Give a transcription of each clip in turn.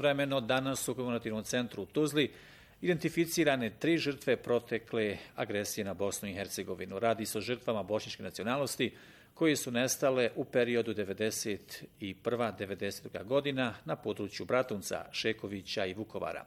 Vremeno danas u komemorativnom centru u Tuzli identificirane 3 žrtve protekle agresije na Bosnu i Hercegovinu. Radi se o žrtvama bošnjačke nacionalnosti koje su nestale u periodu 1991-1992. godina na području Bratunca, Šekovića i Vukovara.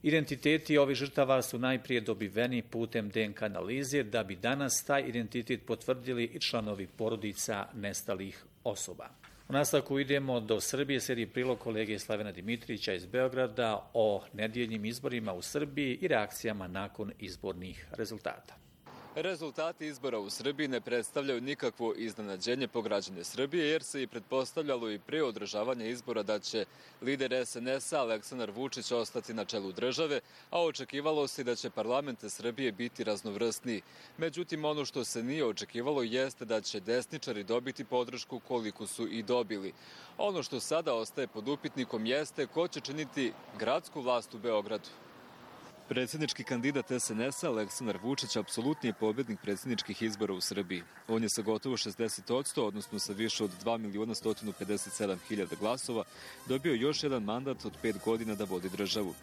Identiteti ovih žrtava su najprije dobiveni putem DNK analize, da bi danas taj identitet potvrdili i članovi porodica nestalih osoba. U nastavku idemo do Srbije, slijedi prilog kolege Slavena Dimitrića iz Beograda o nedjeljnim izborima u Srbiji i reakcijama nakon izbornih rezultata. Rezultati izbora u Srbiji ne predstavljaju nikakvo iznenađenje po građane Srbije, jer se i pretpostavljalo i pre održavanja izbora da će lider SNS-a Aleksandar Vučić ostati na čelu države, a očekivalo se da će parlament Srbije biti raznovrsniji. Međutim, ono što se nije očekivalo jeste da će desničari dobiti podršku koliko su i dobili. Ono što sada ostaje pod upitnikom jeste ko će činiti gradsku vlast u Beogradu. Predsjednički kandidat SNS-a Aleksandar Vučić apsolutni je pobjednik predsjedničkih izbora u Srbiji. On je sa gotovo 60%, odnosno sa više od 2.157.000 glasova, dobio još jedan mandat od 5 godina da vodi državu.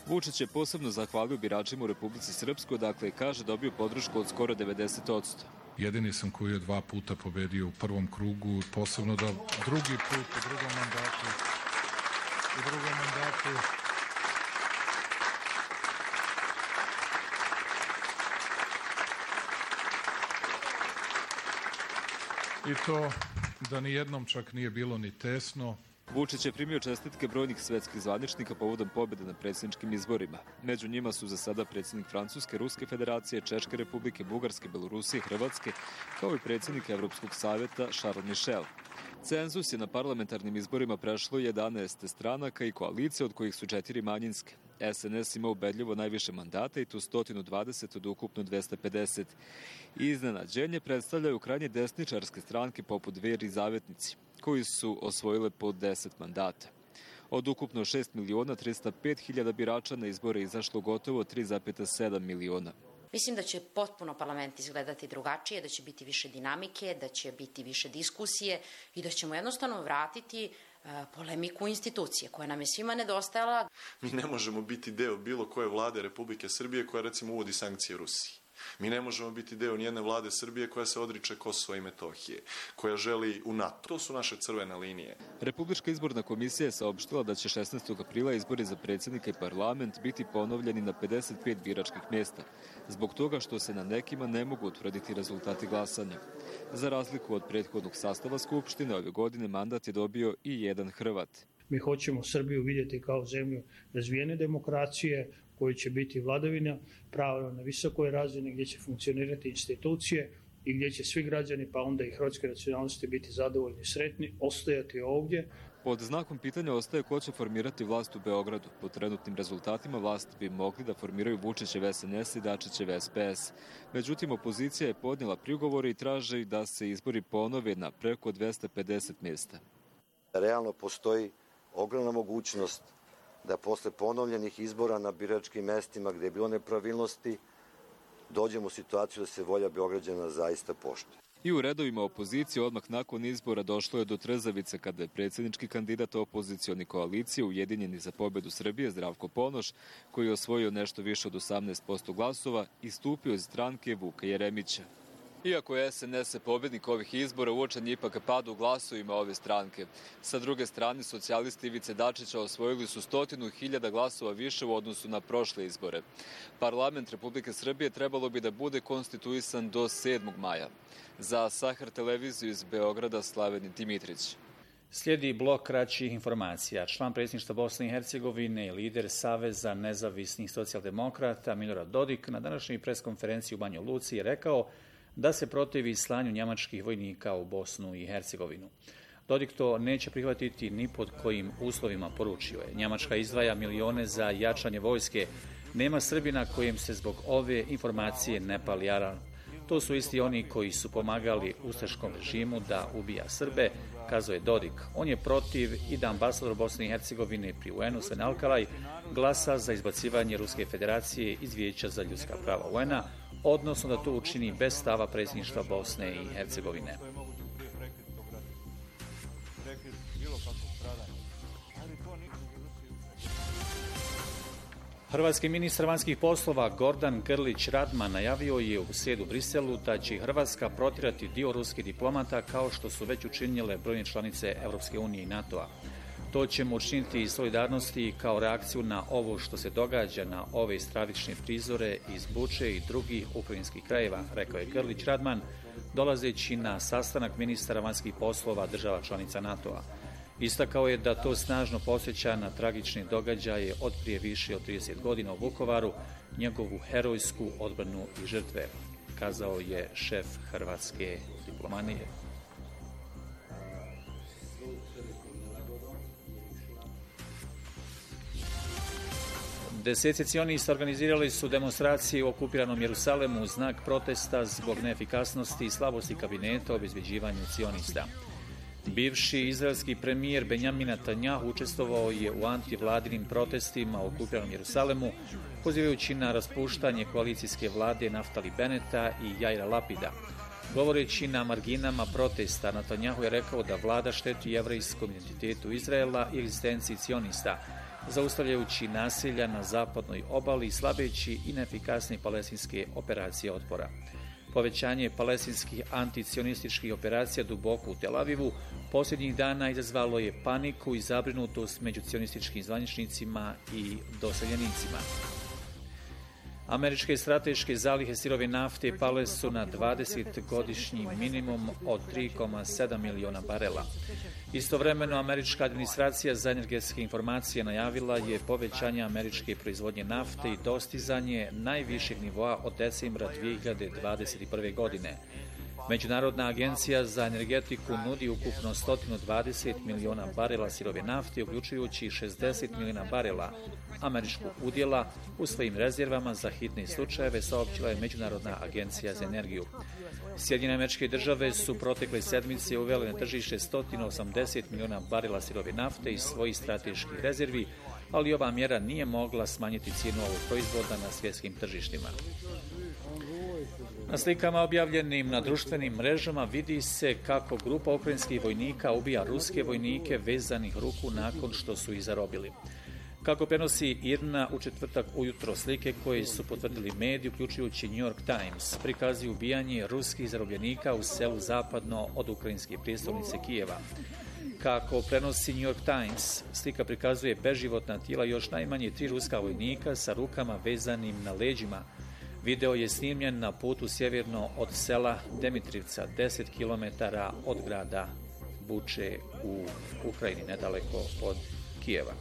Vučić je posebno zahvalio biračima u Republici Srpskoj, dakle kaže dobio podršku od skoro 90%. Jedini sam koji je 2 puta pobedio u prvom krugu, posebno da drugi put u drugom mandatu i to da ni jednom čak nije bilo ni tesno. Vučić je primio čestitke brojnih svetskih zvaničnika povodom pobjede na predsjedničkim izborima. Među njima su za sada predsjednik Francuske, Ruske federacije, Češke republike, Bugarske, Belorusije, Hrvatske, kao i predsjednik Evropskog savjeta Charles Michel. Cenzus je na parlamentarnim izborima prešlo 11 stranaka i koalicije, od kojih su 4 manjinske. SNS ima ubedljivo najviše mandata i to 120 od ukupno 250. Iznenađenje predstavljaju krajnje desničarske stranke poput Dveri i Zavetnici, koji su osvojile po 10 mandata. Od ukupno 6.305.000 birača na izbore izašlo gotovo 3,7 miliona. Mislim da će potpuno parlament izgledati drugačije, da će biti više dinamike, da će biti više diskusije i da ćemo jednostavno vratiti polemiku institucije koja nam je svima nedostajala. Mi ne možemo biti deo bilo koje vlade Republike Srbije koja recimo uvodi sankcije Rusiji. Mi ne možemo biti deo nijedne vlade Srbije koja se odriče Kosova i Metohije, koja želi u NATO. To su naše crvene linije. Republička izborna komisija je saopštila da će 16. aprila izbori za predsjednika i parlament biti ponovljeni na 55 biračkih mjesta, zbog toga što se na nekima ne mogu utvrditi rezultati glasanja. Za razliku od prethodnog sastava Skupštine, ove godine mandat je dobio i jedan Hrvat. Mi hoćemo Srbiju vidjeti kao zemlju razvijene demokracije, koji će biti vladavina prava na visokoj razini, gdje će funkcionirati institucije i gdje će svi građani, pa onda i hrvatske nacionalnosti, biti zadovoljni i sretni, ostajati ovdje. Pod znakom pitanja ostaje ko će formirati vlast u Beogradu. Po trenutnim rezultatima vlast bi mogli da formiraju Vučićev SNS i Dačićev SPS. Međutim, opozicija je podnijela prigovore i traži da se izbori ponove na preko 250 mjesta. Realno postoji ogromna mogućnost da posle ponovljenih izbora na biračkim mestima gde je bilo nepravilnosti dođemo u situaciju da se volja Beograđana zaista poštuje. I u redovima opozicije odmah nakon izbora došlo je do trzavice kada je predsjednički kandidat opozicioni koalicije Ujedinjeni za pobjedu Srbije Zdravko Ponoš, koji je osvojio nešto više od 18% glasova, istupio iz stranke Vuka Jeremića. Iako je SNS pobjednik ovih izbora, uočen je ipak pad u glasovima ove stranke. Sa druge strane, socijalisti Ivice Dačića osvojili su 100.000 glasova više u odnosu na prošle izbore. Parlament Republike Srbije trebalo bi da bude konstituisan do 7. maja. Za Sahar televiziju iz Beograda Slaven Dimitrić. Slijedi blok kraćih informacija. Član predsjedništva Bosne i Hercegovine i lider Saveza nezavisnih socijaldemokrata Milorad Dodik na današnjoj preskonferenciji u Banja Luci je rekao da se protivi slanju njemačkih vojnika u Bosnu i Hercegovinu. Dodik to neće prihvatiti ni pod kojim uslovima, poručio je. Njemačka izdvaja milione za jačanje vojske. Nema Srbina kojem se zbog ove informacije ne pali alarm. To su isti oni koji su pomagali ustaškom režimu da ubija Srbe, kazao je Dodik. On je protiv i da ambasador Bosne i Hercegovine pri UN-u Sven Alkalaj glasa za izbacivanje Ruske federacije iz Vijeća za ljudska prava UN-a, odnosno da to učini bez stava predsjedništva Bosne i Hercegovine. Hrvatski ministar vanjskih poslova Gordan Grlić Radman najavio je u srijedu u Briselu da će Hrvatska protjerati dio ruskih diplomata kao što su već učinile brojne članice Europske unije i NATO-a. To ćemo učiniti iz solidarnosti kao reakciju na ovo što se događa na ove stravične prizore iz Buče i drugih ukrajinskih krajeva, rekao je Grlić Radman, dolazeći na sastanak ministara vanjskih poslova država članica NATO-a. Istakao je da to snažno podsjeća na tragične događaje od prije više od 30 godina u Vukovaru, njegovu herojsku odbranu i žrtve, kazao je šef hrvatske diplomatije. Deseci cionista organizirali su demonstracije u okupiranom Jerusalemu u znak protesta zbog neefikasnosti i slabosti kabineta o obezbeđivanju cionista. Bivši izraelski premijer Benjamin Netanjahu učestvovao je u antivladinim protestima u okupiranom Jerusalemu, pozivajući na raspuštanje koalicijske vlade Naftali Beneta i Jaira Lapida. Govoreći na marginama protesta, Netanjahu je rekao da vlada šteti jevrejskom identitetu Izraela i egzistenciji cionista, zaustavljajući nasilja na zapadnoj obali i slabeći i neefikasne palestinske operacije otpora. Povećanje palestinskih anticionističkih operacija duboko u Tel Avivu posljednjih dana izazvalo je paniku i zabrinutost među cionističkim zvaničnicima i doseljenicima. Američke strateške zalihe sirove nafte pale su na 20-godišnji minimum od 3,7 miliona barela. Istovremeno, američka administracija za energetske informacije najavila je povećanje američke proizvodnje nafte i dostizanje najvišeg nivoa od decembra 2021. godine. Međunarodna agencija za energetiku nudi ukupno 120 miliona barela sirove nafte, uključujući 60 miliona barela američkog udjela u svojim rezervama za hitne slučajeve, saopćila je Međunarodna agencija za energiju. Sjedinjene Američke Države su protekle sedmice uvele na tržište 180 miliona barela sirove nafte iz svojih strateških rezervi, ali ova mjera nije mogla smanjiti cijenu ovog proizvoda na svjetskim tržištima. Na slikama objavljenim na društvenim mrežama vidi se kako grupa ukrajinskih vojnika ubija ruske vojnike vezanih ruku nakon što su ih zarobili. Kako prenosi IRNA u četvrtak ujutro, slike koje su potvrdili mediji, uključujući New York Times, prikazuju ubijanje ruskih zarobljenika u selu zapadno od ukrajinske prijestolnice Kijeva. Kako prenosi New York Times, slika prikazuje beživotna tijela još najmanje 3 ruska vojnika sa rukama vezanim na leđima. Video je snimljen na putu sjeverno od sela Demitrivca, 10 km od grada Buče u Ukrajini, nedaleko od Kijeva.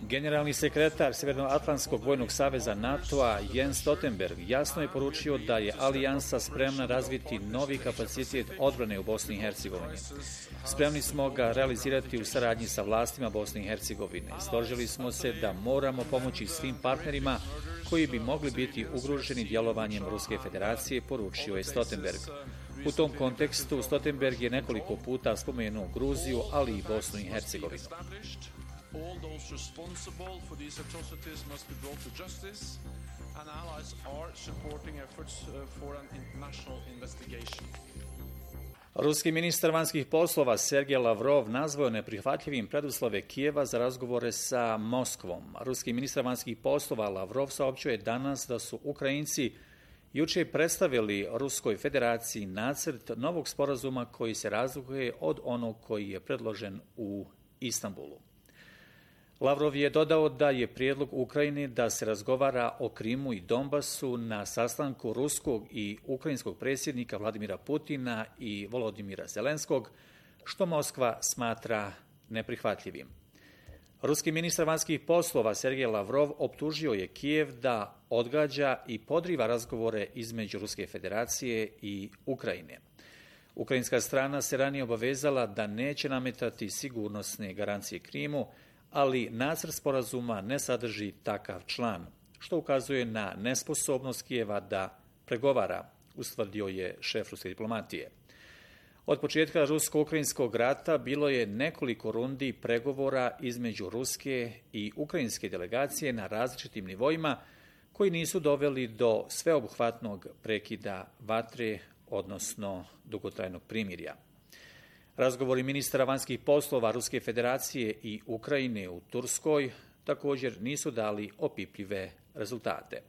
Generalni sekretar Sjevernoatlantskog vojnog saveza NATO-a Jens Stoltenberg jasno je poručio da je alijansa spremna razviti novi kapacitet odbrane u Bosni i Hercegovini. Spremni smo ga realizirati u saradnji sa vlastima Bosne i Hercegovine. Složili smo se da moramo pomoći svim partnerima koji bi mogli biti ugroženi djelovanjem Ruske federacije, poručio je Stoltenberg. U tom kontekstu Stoltenberg je nekoliko puta spomenuo Gruziju, ali i Bosnu i Hercegovinu. All those responsible for these atrocities must be brought to justice, and allies are supporting efforts for an international investigation. Ruski ministar vanjskih poslova Sergej Lavrov nazvao neprihvatljivim preduslove Kijeva za razgovore sa Moskvom. Ruski ministar vanjskih poslova Lavrov saopćio je danas da su Ukrajinci jučer predstavili Ruskoj federaciji nacrt novog sporazuma koji se razlikuje od onog koji je predložen u Istanbulu. Lavrov je dodao da je prijedlog Ukrajine da se razgovara o Krimu i Donbasu na sastanku ruskog i ukrajinskog predsjednika Vladimira Putina i Volodimira Zelenskog, što Moskva smatra neprihvatljivim. Ruski ministar vanjskih poslova Sergej Lavrov optužio je Kijev da odgađa i podriva razgovore između Ruske federacije i Ukrajine. Ukrajinska strana se ranije obavezala da neće nametati sigurnosne garancije Krimu, ali nacrt sporazuma ne sadrži takav član, što ukazuje na nesposobnost Kijeva da pregovara, ustvrdio je šef ruske diplomatije. Od početka rusko-ukrajinskog rata bilo je nekoliko rundi pregovora između ruske i ukrajinske delegacije na različitim nivoima koji nisu doveli do sveobuhvatnog prekida vatre, odnosno dugotrajnog primirja. Razgovori ministara vanjskih poslova Ruske federacije i Ukrajine u Turskoj također nisu dali opipljive rezultate.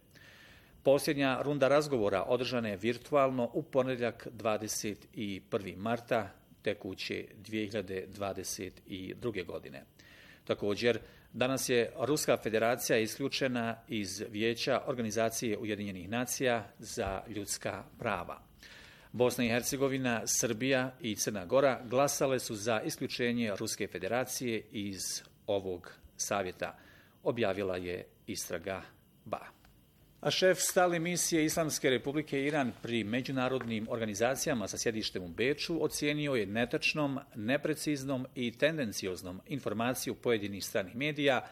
Posljednja runda razgovora održana je virtualno u ponedjeljak 21. marta tekuće 2022. godine. Također, danas je Ruska federacija isključena iz Vijeća Organizacije Ujedinjenih nacija za ljudska prava. Bosna i Hercegovina, Srbija i Crna Gora glasale su za isključenje Ruske federacije iz ovog savjeta, objavila je istraga BA. A šef stalne misije Islamske republike Iran pri međunarodnim organizacijama sa sjedištem u Beču ocijenio je netačnom, nepreciznom i tendencioznom informaciju pojedinih stranih medija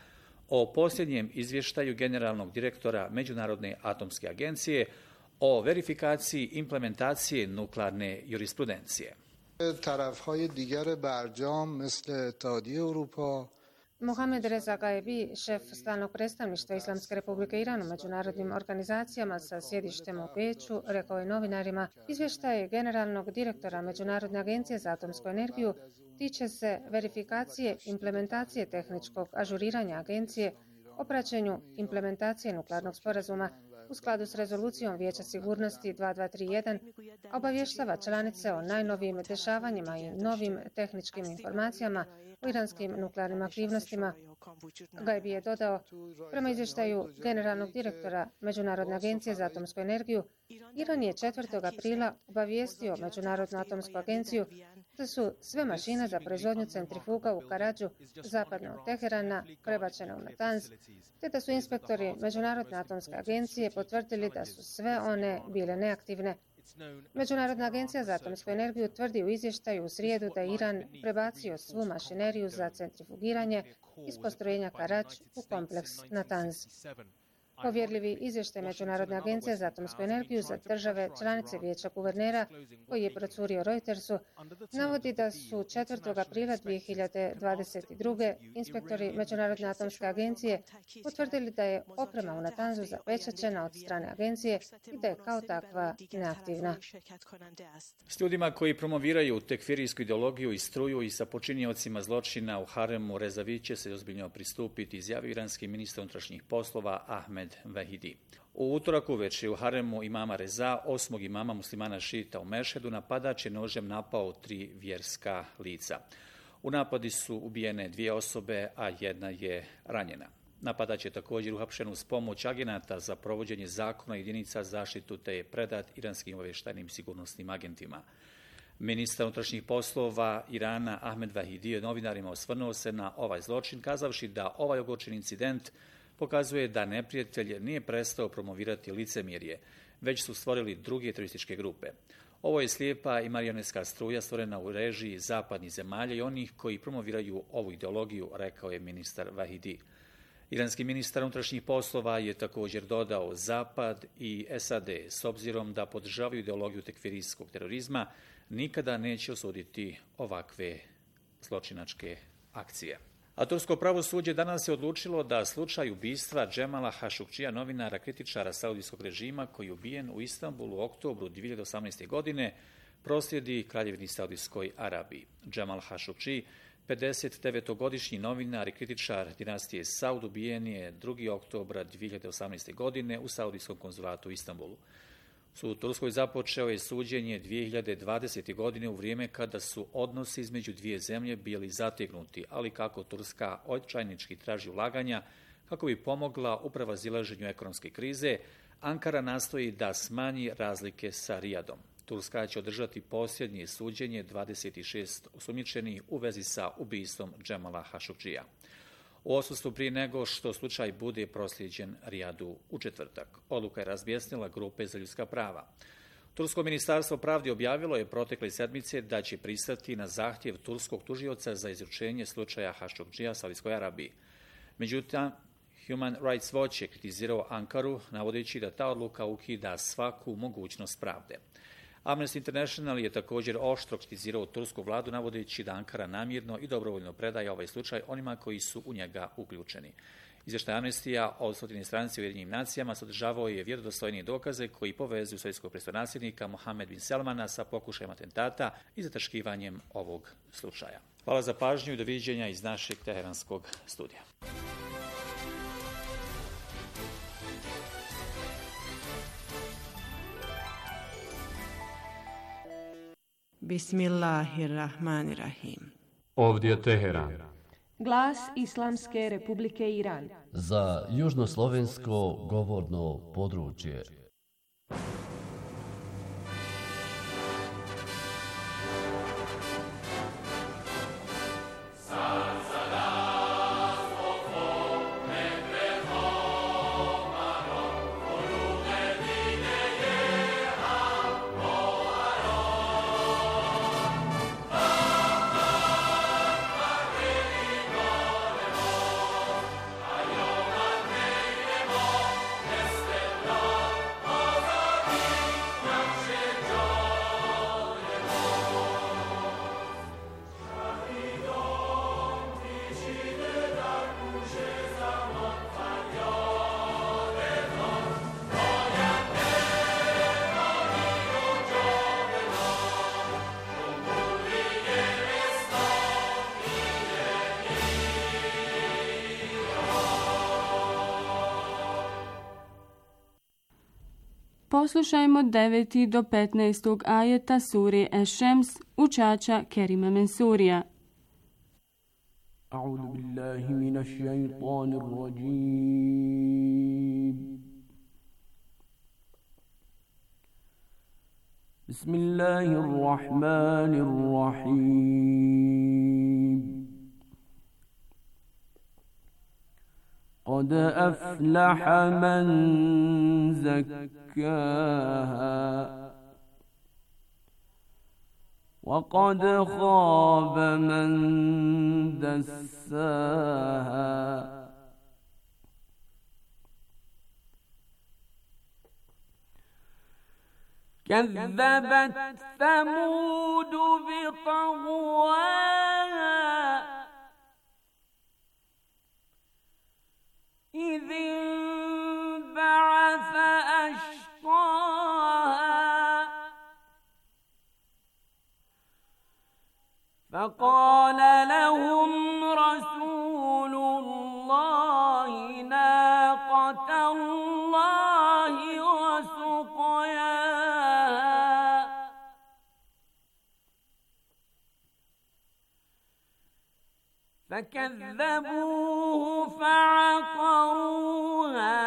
o posljednjem izvještaju generalnog direktora Međunarodne atomske agencije o verifikaciji implementacije nuklearne jurisprudencije. Mohamed Reza Gaebi, šef stalnog predstavništva Islamske republike Iran u međunarodnim organizacijama sa sjedištem u Beču, rekao je novinarima, izvještaj generalnog direktora Međunarodne agencije za atomsku energiju tiče se verifikacije implementacije tehničkog ažuriranja agencije o praćenju implementacije nuklearnog sporazuma u skladu s rezolucijom Vijeća sigurnosti 2231, obavještava članice o najnovijim dešavanjima i novim tehničkim informacijama o iranskim nuklearnim aktivnostima. Gaebi je dodao, prema izvještaju generalnog direktora Međunarodne agencije za atomsku energiju, Iran je 4. aprila obavijestio Međunarodnu atomsku agenciju da su sve mašine za proizvodnju centrifuga u Karadžu, zapadno od Teherana, prebačene u Natanz, te da su inspektori Međunarodne atomske agencije potvrdili da su sve one bile neaktivne. Međunarodna agencija za atomsku energiju tvrdi u izvještaju u srijedu da je Iran prebacio svu mašineriju za centrifugiranje iz postrojenja Karadž u kompleks Natanz. Povjerljivi izvještaj Međunarodne agencije za atomsku energiju za države članice Vijeća guvernera, koji je procurio Reutersu, navodi da su 4. aprila 2022. inspektori Međunarodne atomske agencije potvrdili da je oprema u Natanzu zapečaćena od strane agencije i da je kao takva neaktivna. S ljudima koji promoviraju tekfirijsku ideologiju i struju i sa počiniocima zločina u haremu Rezavi će se ozbiljno pristupiti, izjavio iranski ministar unutrašnjih poslova Ahmed Vahidi. U utorak uveče u haremu imama Reza, 8. imama muslimana šita u Mešhedu, napadač je nožem napao 3 vjerska lica. U napadi su ubijene 2 osobe, a 1 je ranjena. Napadač je također uhapšen uz pomoć agenata za provođenje zakona jedinica zaštitu te je predat iranskim obavještajnim sigurnosnim agentima. Ministar unutrašnjih poslova Irana Ahmed Vahidi je novinarima osvrnuo se na ovaj zločin, kazavši da ovaj ogorčen incident pokazuje da neprijatelj nije prestao promovirati licemjerje, već su stvorili druge terorističke grupe. Ovo je slijepa i marionetska struja stvorena u režiji zapadnih zemalja i onih koji promoviraju ovu ideologiju, rekao je ministar Vahidi. Iranski ministar unutrašnjih poslova je također dodao Zapad i SAD, s obzirom da podržavaju ideologiju tekfirijskog terorizma, nikada neće osuditi ovakve zločinačke akcije. A tursko pravosuđe danas je odlučilo da slučaj ubistva Džemala Hašukčija, novinara kritičara saudijskog režima koji je ubijen u Istanbulu u oktobru 2018. godine, proslijedi Kraljevini Saudijskoj Arabiji. Džemal Hašukči, 59-godišnji novinar i kritičar dinastije Saud, ubijen je 2. oktobra 2018. godine u saudijskom konzulatu u Istanbulu. U Turskoj započeo je suđenje 2020. godine u vrijeme kada su odnosi između dvije zemlje bili zategnuti, ali kako Turska očajnički traži ulaganja kako bi pomogla u prevazilaženju ekonomske krize, Ankara nastoji da smanji razlike sa Rijadom. Turska će održati posljednje suđenje 26 osumnjičenih u vezi sa ubistvom Džemala Hašukčija. U odsustvu prije nego što slučaj bude proslijeđen Rijadu u četvrtak. Odluka je razbjesnila grupe za ljudska prava. Tursko ministarstvo pravde objavilo je protekle sedmice da će pristati na zahtjev turskog tužioca za izručenje slučaja Hašukčija Saudijskoj Arabiji. Međutim, Human Rights Watch je kritizirao Ankaru, navodeći da ta odluka ukida svaku mogućnost pravde. Amnesty International je također oštro kritizirao tursku vladu, navodeći da Ankara namjerno i dobrovoljno predaje ovaj slučaj onima koji su u njega uključeni. Izvještaj Amnestija od 100 stranici u Ujedinjenim nacijama sadržavao je vjerodostojnije dokaze koji povezuju sovjetskog prestolnasljednika Mohamed bin Salmana sa pokušajem atentata i zataškivanjem ovog slučaja. Hvala za pažnju i doviđenja iz našeg teheranskog studija. Bismillahirrahmanirrahim. Ovdje je Teheran. Glas Islamske Republike Iran. Za južnoslovensko govorno područje. Poslušajmo 9. do 15. ajeta sure Eš-Šems učača Kerima Mensurija. A'udhu billahi minash shaitanir rajim. Bismillahirrahmanirrahim. قد أفلح من زكاها وقد خاب من دساها كذبت ثمود بطغواها إذ انبعث أشقاها فقال لهم رسول الله ناقة الله وسقياها فكذبوه فعقروها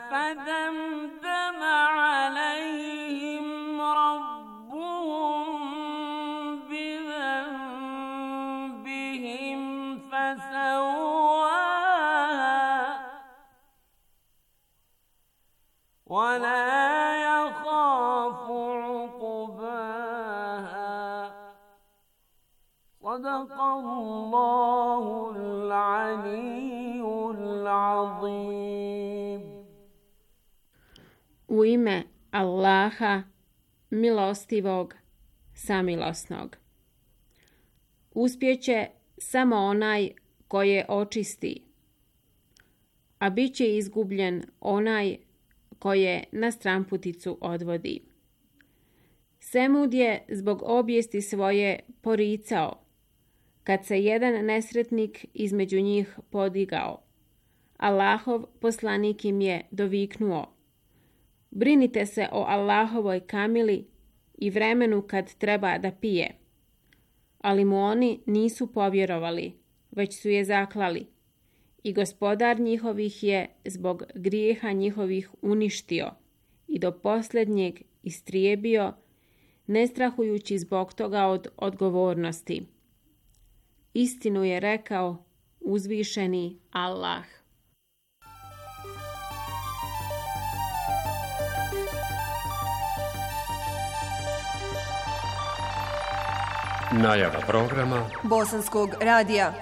فدمدم عليهم ربهم بذنبهم فسواها ولا يخاف عقباها صدق الله العلي العظيم. U ime Allaha, milostivog, samilosnog. Uspjeće samo onaj koje očisti, a bit će izgubljen onaj koje na stramputicu odvodi. Semud je zbog obijesti svoje poricao, kad se jedan nesretnik između njih podigao. Allahov poslanik im je doviknuo: brinite se o Allahovoj kamili i vremenu kad treba da pije. Ali mu oni nisu povjerovali, već su je zaklali. I Gospodar njihovih je zbog grijeha njihovih uništio i do posljednjeg istrijebio, ne strahujući zbog toga od odgovornosti. Istinu je rekao uzvišeni Allah. Najava programa Bosanskog radija.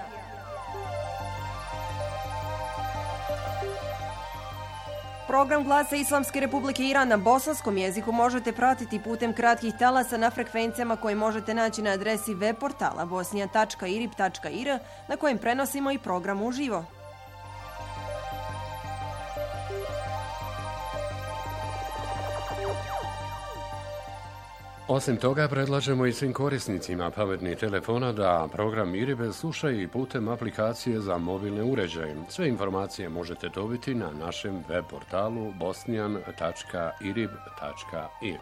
Program Glasa Islamske Republike Iran na bosanskom jeziku možete pratiti putem kratkih talasa na frekvencijama koje možete naći na adresi web portala bosnija.irib.ir na kojem prenosimo i program uživo. Osim toga, predlažemo i svim korisnicima pametnih telefona da program IRIB slušaju i putem aplikacije za mobilne uređaje. Sve informacije možete dobiti na našem web portalu bosnian.irib.ir.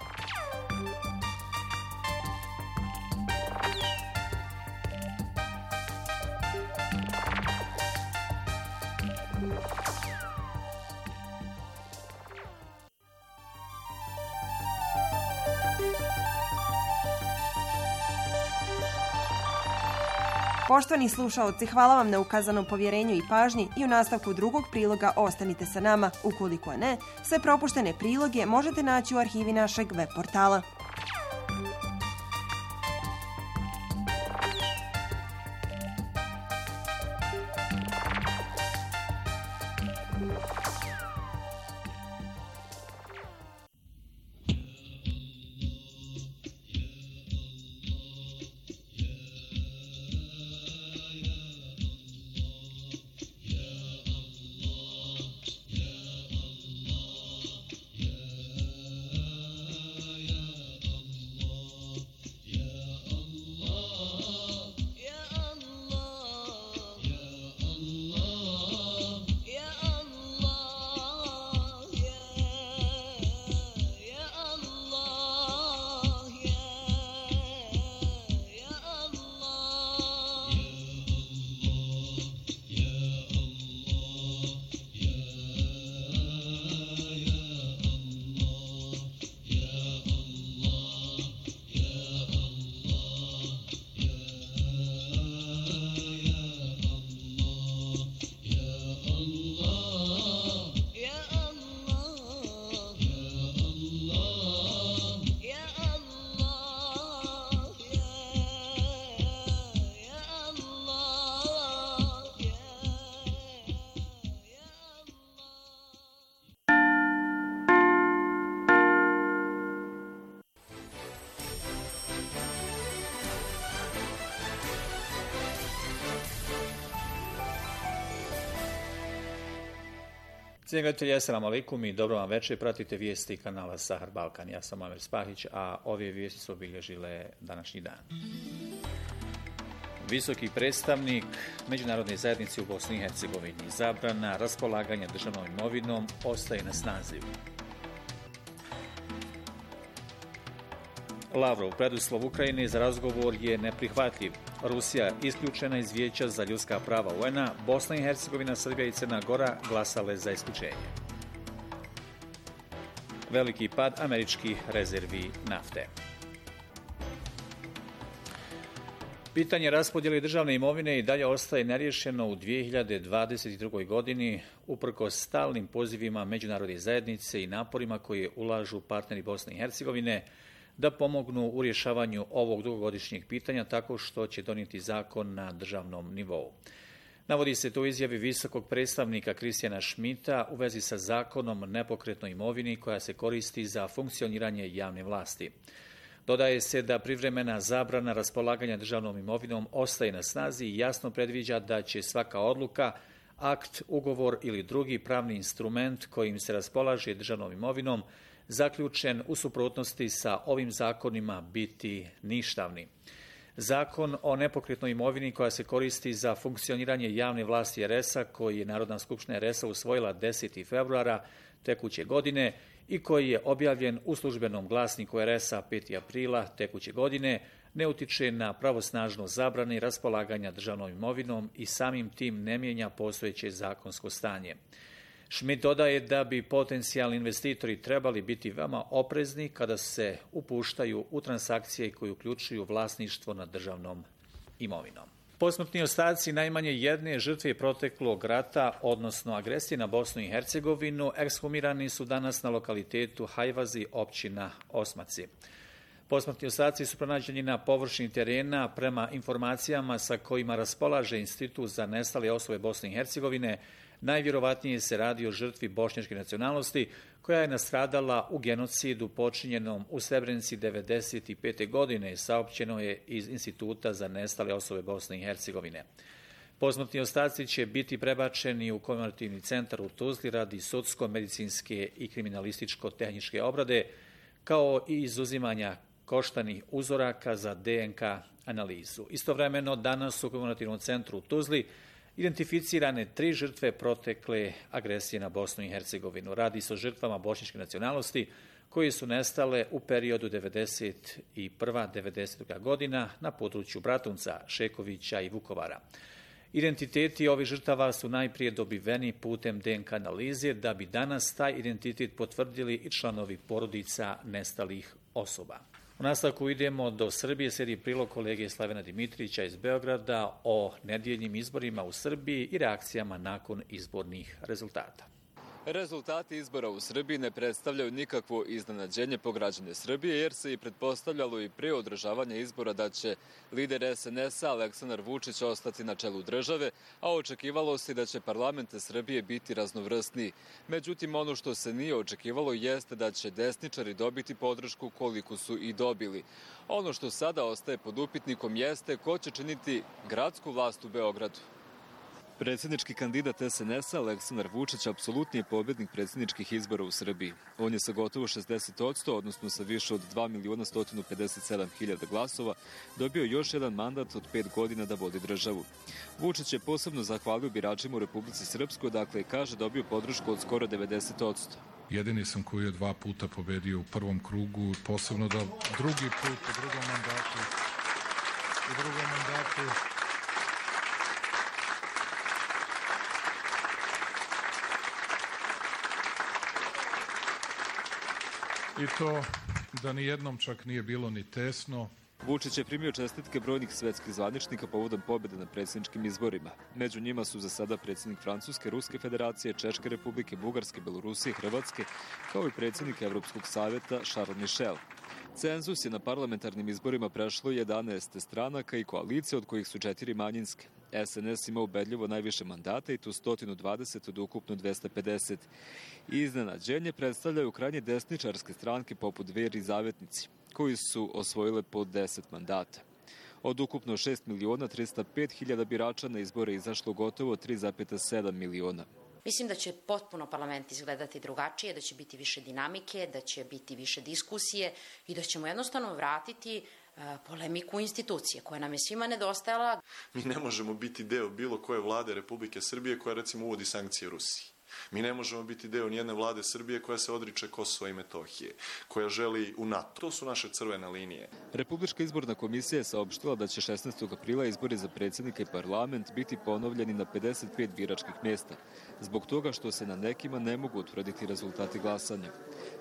Poštovani slušaoci, hvala vam na ukazanom povjerenju i pažnji i u nastavku drugog priloga ostanite sa nama. Ukoliko ne, sve propuštene priloge možete naći u arhivi našeg web portala. Cijenjeni gledatelji, assalamu alaikum i dobro vam večer. Pratite vijesti kanala Sahar Balkan. Ja sam Amer Spahić, a ove vijesti su obilježile današnji dan. Visoki predstavnik Međunarodne zajednice u Bosni i Hercegovini. Zabrana raspolaganja državnom imovinom ostaje na snazi. Lavrov, preduslov Ukrajine za razgovor je neprihvatljiv. Rusija isključena iz Vijeća za ljudska prava UN-a, Bosna i Hercegovina, Srbija i Crna Gora glasale za isključenje. Veliki pad američkih rezervi nafte. Pitanje raspodjele državne imovine i dalje ostaje neriješeno u 2022. godini, uprkos stalnim pozivima međunarodne zajednice i naporima koje ulažu partneri Bosne i Hercegovine da pomognu u rješavanju ovog dugogodišnjeg pitanja tako što će donijeti zakon na državnom nivou. Navodi se to u izjavi visokog predstavnika Kristijana Šmita u vezi sa zakonom o nepokretnoj imovini koja se koristi za funkcioniranje javne vlasti. Dodaje se da privremena zabrana raspolaganja državnom imovinom ostaje na snazi i jasno predviđa da će svaka odluka, akt, ugovor ili drugi pravni instrument kojim se raspolaže državnom imovinom zaključen u suprotnosti sa ovim zakonima biti ništavni. Zakon o nepokretnoj imovini koja se koristi za funkcioniranje javne vlasti RS-a, koji je Narodna skupština RS-a usvojila 10. februara tekuće godine i koji je objavljen u službenom glasniku RS-a 5. aprila tekuće godine, ne utiče na pravosnažno zabrane raspolaganja državnom imovinom i samim tim ne mijenja postojeće zakonsko stanje. Schmidt dodaje da bi potencijalni investitori trebali biti veoma oprezni kada se upuštaju u transakcije koje uključuju vlasništvo nad državnom imovinom. Posmrtni ostaci najmanje jedne žrtve proteklog rata, odnosno agresije na Bosnu i Hercegovinu, ekshumirani su danas na lokalitetu Hajvazi, općina Osmaci. Posmrtni ostaci su pronađeni na površini terena prema informacijama sa kojima raspolaže Institut za nestale osobe Bosne i Hercegovine. Najvjerovatnije se radi o žrtvi bošnjačke nacionalnosti koja je nastradala u genocidu počinjenom u Srebrenici 1995. godine, saopćeno je iz Instituta za nestale osobe Bosne i Hercegovine. Posmrtni ostaci će biti prebačeni u komemorativni centar u Tuzli radi sudsko-medicinske i kriminalističko-tehničke obrade, kao i izuzimanja koštanih uzoraka za DNK analizu. Istovremeno, danas u Komemorativnom centru u Tuzli identificirane 3 žrtve protekle agresije na Bosnu i Hercegovinu. Radi se o žrtvama bošnjačke nacionalnosti koje su nestale u periodu 1991-1992. godina na području Bratunca, Šekovića i Vukovara. Identiteti ovih žrtava su najprije dobiveni putem DNK analize, da bi danas taj identitet potvrdili i članovi porodica nestalih osoba. U nastavku idemo do Srbije, slijedi prilog kolege Slavena Dimitrića iz Beograda o nedjeljnim izborima u Srbiji i reakcijama nakon izbornih rezultata. Rezultati izbora u Srbiji ne predstavljaju nikakvo iznenađenje po građane Srbije, jer se i pretpostavljalo i prije održavanja izbora da će lider SNS-a Aleksandar Vučić ostati na čelu države, a očekivalo se da će parlament Srbije biti raznovrsniji. Međutim, ono što se nije očekivalo jeste da će desničari dobiti podršku koliko su i dobili. Ono što sada ostaje pod upitnikom jeste ko će činiti gradsku vlast u Beogradu. Predsjednički kandidat SNS-a Aleksandar Vučić apsolutni je pobjednik predsjedničkih izbora u Srbiji. On je sa gotovo 60%, odnosno sa više od 2.157.000 glasova, dobio još jedan mandat od 5 godina da vodi državu. Vučić je posebno zahvalio biračima u Republici Srpskoj, dakle kaže dobio podršku od skoro 90%. Jedini sam koji je 2 puta pobedio u prvom krugu, posebno da drugi put u drugom mandatu i to da ni jednom čak nije bilo ni tesno. Vučić je primio čestitke brojnih svetskih zvaničnika povodom pobjede na predsjedničkim izborima. Među njima su za sada predsjednik Francuske, Ruske federacije, Češke republike, Bugarske, Belorusije, Hrvatske, kao i predsjednik Evropskog savjeta Charles Michel. Cenzus je na parlamentarnim izborima prešlo 11 stranaka i koalicije, od kojih su 4 manjinske. SNS ima ubedljivo najviše mandata i tu 120 od ukupno 250. Iznenađenje predstavljaju krajnje desničarske stranke poput Dveri i Zavetnici, koji su osvojile po 10 mandata. Od ukupno 6.305.000 birača na izbore izašlo gotovo 3,7 miliona. Mislim da će potpuno parlament izgledati drugačije, da će biti više dinamike, da će biti više diskusije i da ćemo jednostavno vratiti polemiku institucije koja nam je svima nedostajala. Mi ne možemo biti deo bilo koje vlade Republike Srbije koja recimo uvodi sankcije Rusiji. Mi ne možemo biti deo nijedne vlade Srbije koja se odriče Kosova i Metohije, koja želi u NATO. To su naše crvene linije. Republička izborna komisija je saopštila da će 16. aprila izbori za predsjednika i parlament biti ponovljeni na 55 biračkih mjesta, zbog toga što se na nekima ne mogu utvrditi rezultati glasanja.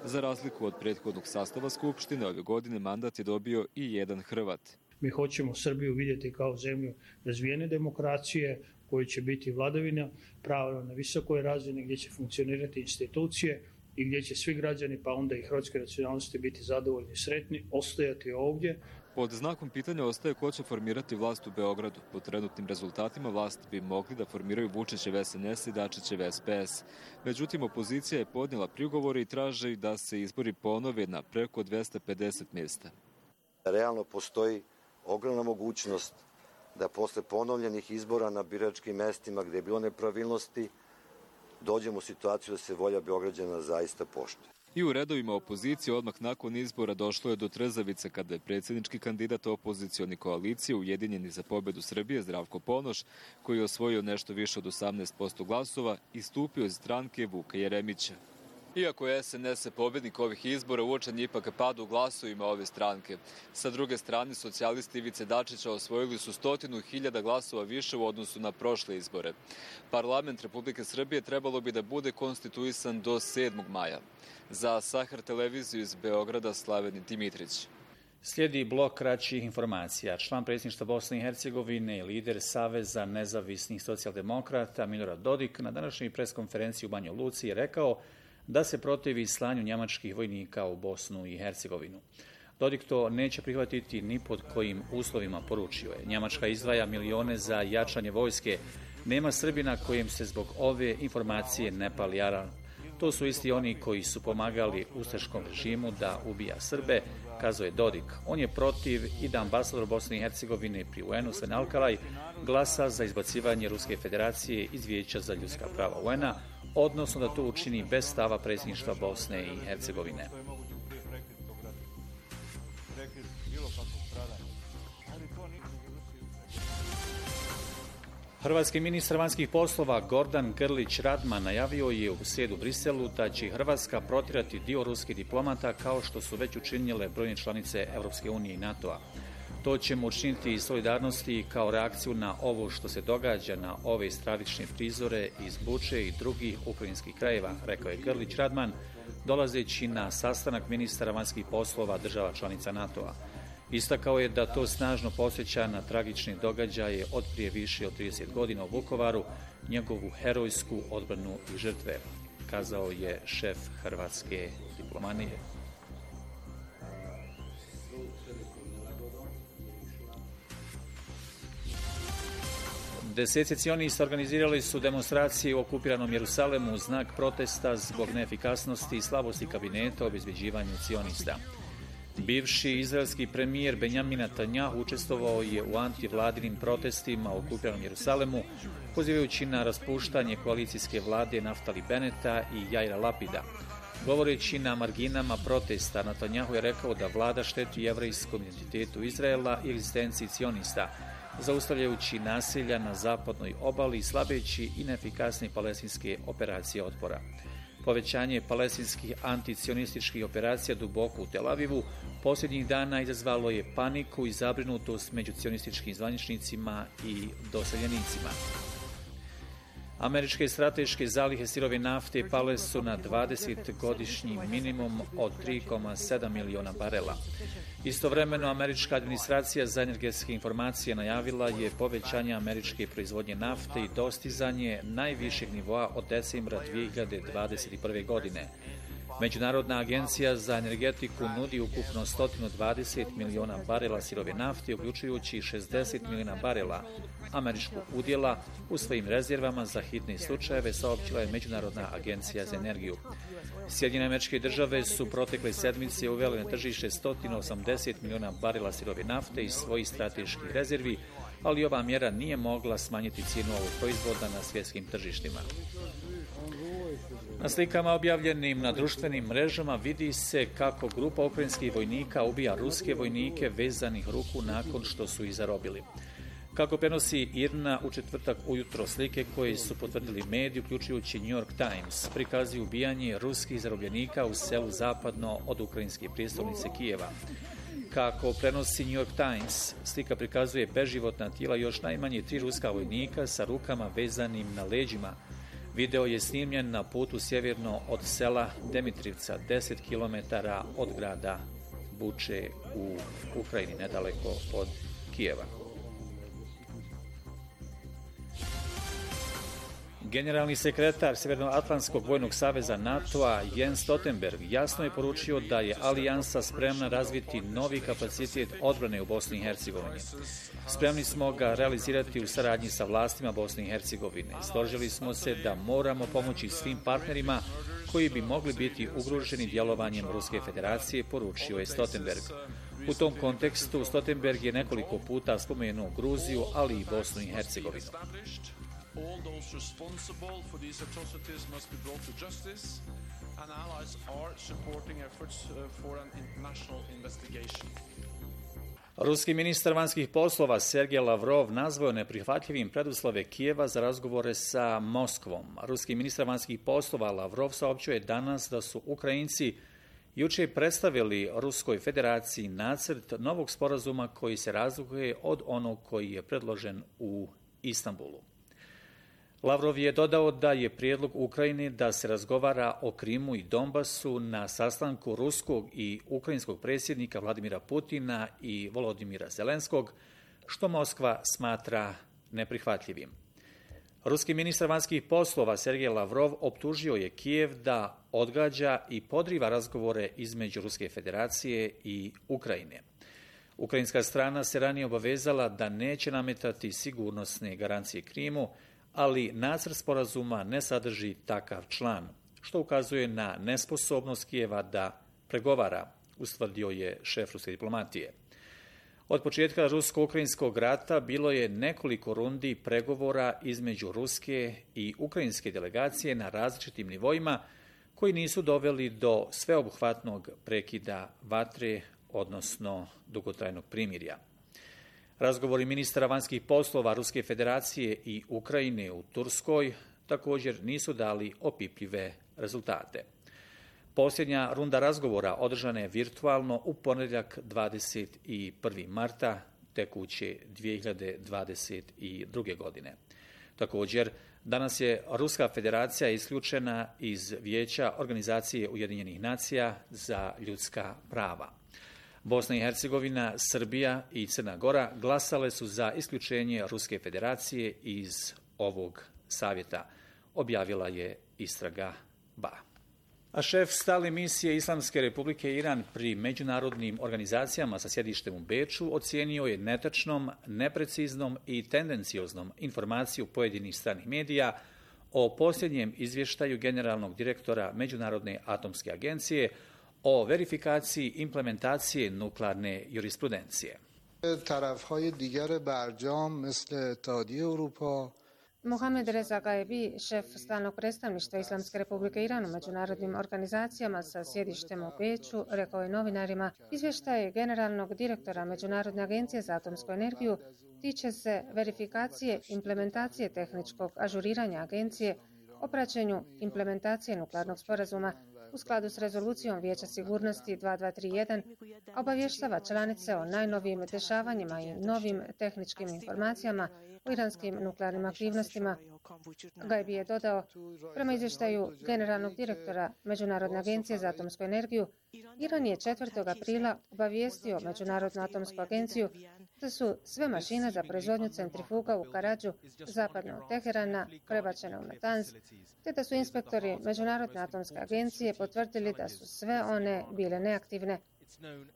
Za razliku od prethodnog sastava Skupštine, ove godine mandat je dobio i jedan Hrvat. Mi hoćemo Srbiju vidjeti kao zemlju razvijene demokracije, koji će biti vladavina prava na visokoj razini, gdje će funkcionirati institucije i gdje će svi građani, pa onda i hrvatske nacionalnosti, biti zadovoljni i sretni, ostajati ovdje. Pod znakom pitanja ostaje ko će formirati vlast u Beogradu. Po trenutnim rezultatima vlast bi mogli da formiraju Vučićev SNS i Dačićev SPS. Međutim, opozicija je podnijela prigovore i traže da se izbori ponove na preko 250 mjesta. Realno postoji ogromna mogućnost da posle ponovljenih izbora na biračkim mestima gdje je bilo nepravilnosti, dođemo u situaciju da se volja Beograđana zaista poštuje. I u redovima opozicije odmah nakon izbora došlo je do trzavice kada je predsjednički kandidat opozicioni koalicije Ujedinjeni za pobjedu Srbije Zdravko Ponoš, koji je osvojio nešto više od 18% glasova, istupio iz stranke Vuka Jeremića. Iako je SNS pobjednik ovih izbora, uočen je ipak pad u glasovima ove stranke. Sa druge strane, socijalisti Ivice Dačića osvojili su 100.000 glasova više u odnosu na prošle izbore. Parlament Republike Srbije trebalo bi da bude konstituisan do 7. maja. Za Sahar televiziju iz Beograda, Slaven Dimitrić. Slijedi blok kraćih informacija. Član predsjedništva Bosne i Hercegovine i lider Saveza nezavisnih socijaldemokrata Milorad Dodik na današnjoj preskonferenciji u Banjoj Luci je rekao da se protivi slanju njemačkih vojnika u Bosnu i Hercegovinu. Dodik to neće prihvatiti ni pod kojim uslovima, poručio je. Njemačka izdvaja milione za jačanje vojske. Nema Srbina kojem se zbog ove informacije ne pali alarm. To su isti oni koji su pomagali ustaškom režimu da ubija Srbe, kazao je Dodik. On je protiv i da ambasador Bosne i Hercegovine pri UN-u Sven Alkalaj glasa za izbacivanje Ruske federacije iz Vijeća za ljudska prava UN-a, odnosno da to učini bez stava predsjedništva Bosne i Hercegovine. Hrvatski ministar vanjskih poslova Gordan Grlić Radman najavio je u srijedu u Briselu da će Hrvatska protjerati dio ruskih diplomata kao što su već učinile brojne članice Europske unije i NATO-a. To ćemo učiniti iz solidarnosti kao reakciju na ovo što se događa na ove stravične prizore iz Buče i drugih ukrajinskih krajeva, rekao je Grlić Radman, dolazeći na sastanak ministara vanjskih poslova država članica NATO-a. Istakao je da to snažno podsjeća na tragične događaje od prije više od 30 godina u Vukovaru, njegovu herojsku odbranu i žrtve, kazao je šef hrvatske diplomatije. Deseci cionista organizirali su demonstracije u okupiranom Jerusalemu u znak protesta zbog neefikasnosti i slabosti kabineta o obezbeđivanju cionista. Bivši izraelski premijer Benjamin Netanjahu učestvovao je u antivladinim protestima u okupiranom Jerusalemu, pozivajući na raspuštanje koalicijske vlade Naftali Beneta i Jaira Lapida. Govoreći na marginama protesta, Netanjahu je rekao da vlada šteti jevrejskom identitetu Izraela i egzistenciji cionista, zaustavljajući nasilja na zapadnoj obali i slabeći i neefikasne palestinske operacije otpora. Povećanje palestinskih anticionističkih operacija duboko u Tel Avivu posljednjih dana izazvalo je paniku i zabrinutost među cionističkim zvaničnicima i doseljenicima. Američke strateške zalihe sirove nafte pale su na 20-godišnji minimum od 3,7 miliona barela. Istovremeno, američka administracija za energetske informacije najavila je povećanje američke proizvodnje nafte i dostizanje najvišeg nivoa od decembra 2021. godine. Međunarodna agencija za energetiku nudi ukupno 120 miliona barela sirove nafte, uključujući 60 miliona barela američkog udjela u svojim rezervama za hitne slučajeve, saopćila je Međunarodna agencija za energiju. Sjedinjene Američke Države su protekle sedmice uvele na tržište 180 miliona barela sirove nafte iz svojih strateških rezervi, ali ova mjera nije mogla smanjiti cijenu ovog proizvoda na svjetskim tržištima. Na slikama objavljenim na društvenim mrežama vidi se kako grupa ukrajinskih vojnika ubija ruske vojnike vezanih ruku nakon što su ih zarobili. Kako prenosi IRNA u četvrtak ujutro, slike koje su potvrdili mediji, uključujući New York Times, prikazuju ubijanje ruskih zarobljenika u selu zapadno od ukrajinske prijestolnice Kijeva. Kako prenosi New York Times, slika prikazuje beživotna tijela još najmanje 3 ruska vojnika sa rukama vezanim na leđima. Video je snimljen na putu sjeverno od sela Demitrivca, 10 km od grada Buče u Ukrajini, nedaleko od Kijeva. Generalni sekretar Sjevernoatlantskog vojnog saveza NATO-a Jens Stoltenberg jasno je poručio da je alijansa spremna razviti novi kapacitet odbrane u Bosni i Hercegovini. Spremni smo ga realizirati u saradnji sa vlastima Bosne i Hercegovine. Složili smo se da moramo pomoći svim partnerima koji bi mogli biti ugroženi djelovanjem Ruske federacije, poručio je Stoltenberg. U tom kontekstu Stoltenberg je nekoliko puta spomenuo Gruziju, ali i Bosnu i Hercegovinu. All those responsible for these atrocities must be brought to justice, and allies are supporting efforts for an international investigation. Ruski ministar vanjskih poslova Sergej Lavrov nazvao neprihvatljivim preduslove Kijeva za razgovore sa Moskvom. Ruski ministar vanjskih poslova Lavrov saopćio je danas da su Ukrajinci jučer predstavili Ruskoj federaciji nacrt novog sporazuma koji se razlikuje od onog koji je predložen u Istanbulu. Lavrov je dodao da je prijedlog Ukrajine da se razgovara o Krimu i Donbasu na sastanku ruskog i ukrajinskog predsjednika Vladimira Putina i Volodimira Zelenskog, što Moskva smatra neprihvatljivim. Ruski ministar vanjskih poslova Sergej Lavrov optužio je Kijev da odgađa i podriva razgovore između Ruske federacije i Ukrajine. Ukrajinska strana se ranije obavezala da neće nametati sigurnosne garancije Krimu, ali nacrt sporazuma ne sadrži takav član, što ukazuje na nesposobnost Kijeva da pregovara, ustvrdio je šef ruske diplomatije. Od početka rusko-ukrajinskog rata bilo je nekoliko rundi pregovora između ruske i ukrajinske delegacije na različitim nivoima koji nisu doveli do sveobuhvatnog prekida vatre, odnosno dugotrajnog primirja. Razgovori ministara vanjskih poslova Ruske federacije i Ukrajine u Turskoj također nisu dali opipljive rezultate. Posljednja runda razgovora održana je virtualno u ponedjeljak 21. marta tekuće 2022. godine. Također, danas je Ruska federacija isključena iz Vijeća Organizacije Ujedinjenih nacija za ljudska prava. Bosna i Hercegovina, Srbija i Crna Gora glasale su za isključenje Ruske federacije iz ovog savjeta, objavila je istraga BA. A šef stalne misije Islamske republike Iran pri međunarodnim organizacijama sa sjedištem u Beču ocijenio je netačnom, nepreciznom i tendencioznom informaciju pojedinih stranih medija o posljednjem izvještaju generalnog direktora Međunarodne atomske agencije o verifikaciji implementacije nuklearne jurisprudencije. Tarafهای دیگر برجام مثل اتحادیه اروپا Mohamed Reza Gaebi, šef stalnog predstavništva Islamske republike Iran u međunarodnim organizacijama sa sjedištem u Beču, rekao je novinarima, izvještaj generalnog direktora Međunarodne agencije za atomsku energiju tiče se verifikacije implementacije tehničkog ažuriranja agencije o praćenju implementacije nuklearnog sporazuma u skladu s rezolucijom Vijeća sigurnosti 2231, obavještava članice o najnovijim dešavanjima i novim tehničkim informacijama o iranskim nuklearnim aktivnostima. Gajbi je dodao, prema izvještaju generalnog direktora Međunarodne agencije za atomsku energiju, Iran je 4. aprila obavijestio Međunarodnu atomsku agenciju da su sve mašine za proizvodnju centrifuga u Karadžu, zapadno od Teherana, prebačene u Natanz, te da su inspektori Međunarodne atomske agencije potvrdili da su sve one bile neaktivne.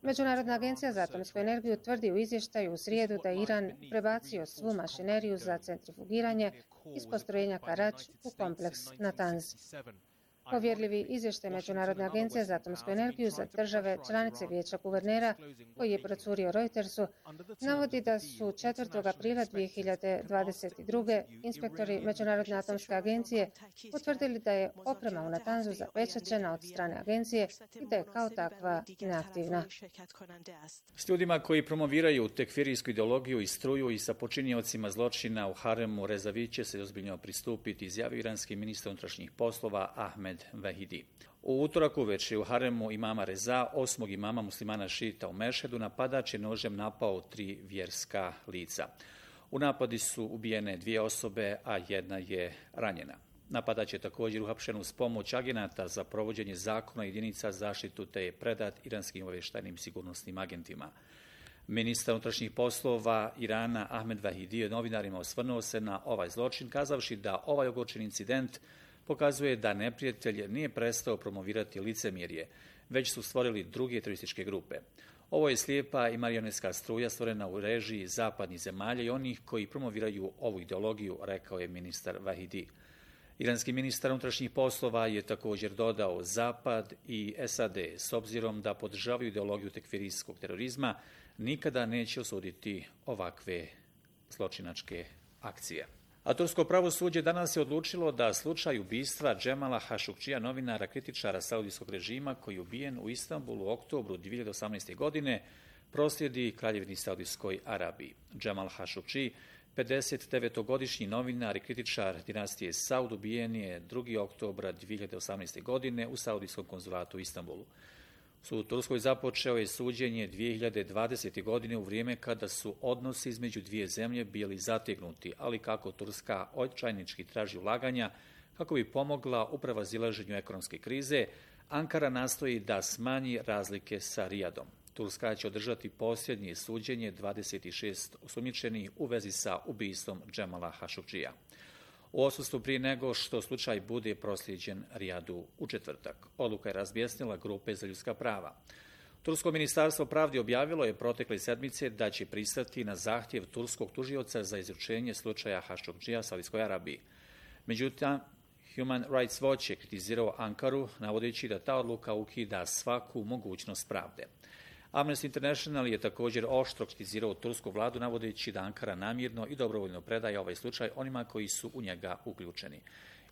Međunarodna agencija za atomsku energiju tvrdi u izvještaju u srijedu da je Iran prebacio svu mašineriju za centrifugiranje iz postrojenja Karadž u kompleks Natanz. Povjerljivi izvještaj Međunarodne agencije za atomsku energiju za države članice Vijeća guvernera, koji je procurio Reutersu, navodi da su 4. aprila 2022. inspektori Međunarodne atomske agencije potvrdili da je oprema u Natanzu zapečaćena od strane agencije i da je kao takva neaktivna. S ljudima koji promoviraju tekfirijsku ideologiju i struju i sa počiniocima zločina u haremu Rezavi će se ozbiljno pristupiti, izjavio iranski ministar unutrašnjih poslova Ahmed Vahidi. U utorak uveče u haremu imama Reza, 8. imama muslimana šita u Mešhedu, napadač je nožem napao 3 vjerska lica. U napadi su ubijene 2 osobe, a 1 je ranjena. Napadač je također uhapšen uz pomoć agenata za provođenje zakona jedinica zaštitu te je predat iranskim obavještajnim sigurnosnim agentima. Ministar unutrašnjih poslova Irana Ahmed Vahidi je novinarima osvrnuo se na ovaj zločin, kazavši da ovaj ogorčen incident pokazuje da neprijatelj nije prestao promovirati licemjerje, već su stvorili druge terorističke grupe. Ovo je slijepa i marionetska struja stvorena u režiji zapadnih zemalja i onih koji promoviraju ovu ideologiju, rekao je ministar Vahidi. Iranski ministar unutrašnjih poslova je također dodao Zapad i SAD, s obzirom da podržavaju ideologiju tekfirijskog terorizma, nikada neće osuditi ovakve zločinačke akcije. A tursko pravosuđe danas je odlučilo da slučaj ubistva Džemala Hašukčija, novinara kritičara saudijskog režima koji je ubijen u Istanbulu u oktobru 2018. godine, proslijedi Kraljevini Saudijskoj Arabiji. Džemal Hašukči, 59-godišnji novinar i kritičar dinastije Saud, ubijen je 2. oktobra 2018. godine u saudijskom konzulatu u Istanbulu. Sud u Turskoj započeo je suđenje 2020. godine u vrijeme kada su odnosi između dvije zemlje bili zategnuti, ali kako Turska očajnički traži ulaganja kako bi pomogla u prevazilaženju ekonomske krize, Ankara nastoji da smanji razlike sa Rijadom. Turska će održati posljednje suđenje 26 osumnjičenih u vezi sa ubistvom Džemala Hašukčija. U odsustvu prije nego što slučaj bude proslijeđen Rijadu u četvrtak. Odluka je razbjesnila grupe za ljudska prava. Tursko ministarstvo pravde objavilo je protekle sedmice da će pristati na zahtjev turskog tužioca za izručenje slučaja Hašukčija Saudijskoj Arabiji. Međutim, Human Rights Watch je kritizirao Ankaru, navodeći da ta odluka ukida svaku mogućnost pravde. Amnesty International je također oštro kritizirao tursku vladu, navodeći da Ankara namjerno i dobrovoljno predaje ovaj slučaj onima koji su u njega uključeni.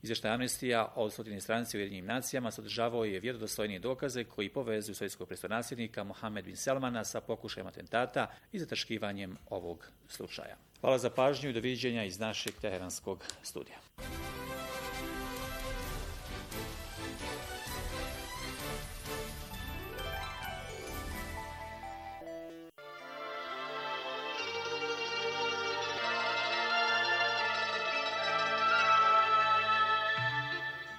Izvještaj Amnestija od 100 stranici u Ujedinjenim nacijama sadržavao je vjerodostojnije dokaze koji povezuju sovjetskog prestolnasljednika Mohamed bin Salmana sa pokušajem atentata i zataškivanjem ovog slučaja. Hvala za pažnju i doviđenja iz našeg teheranskog studija.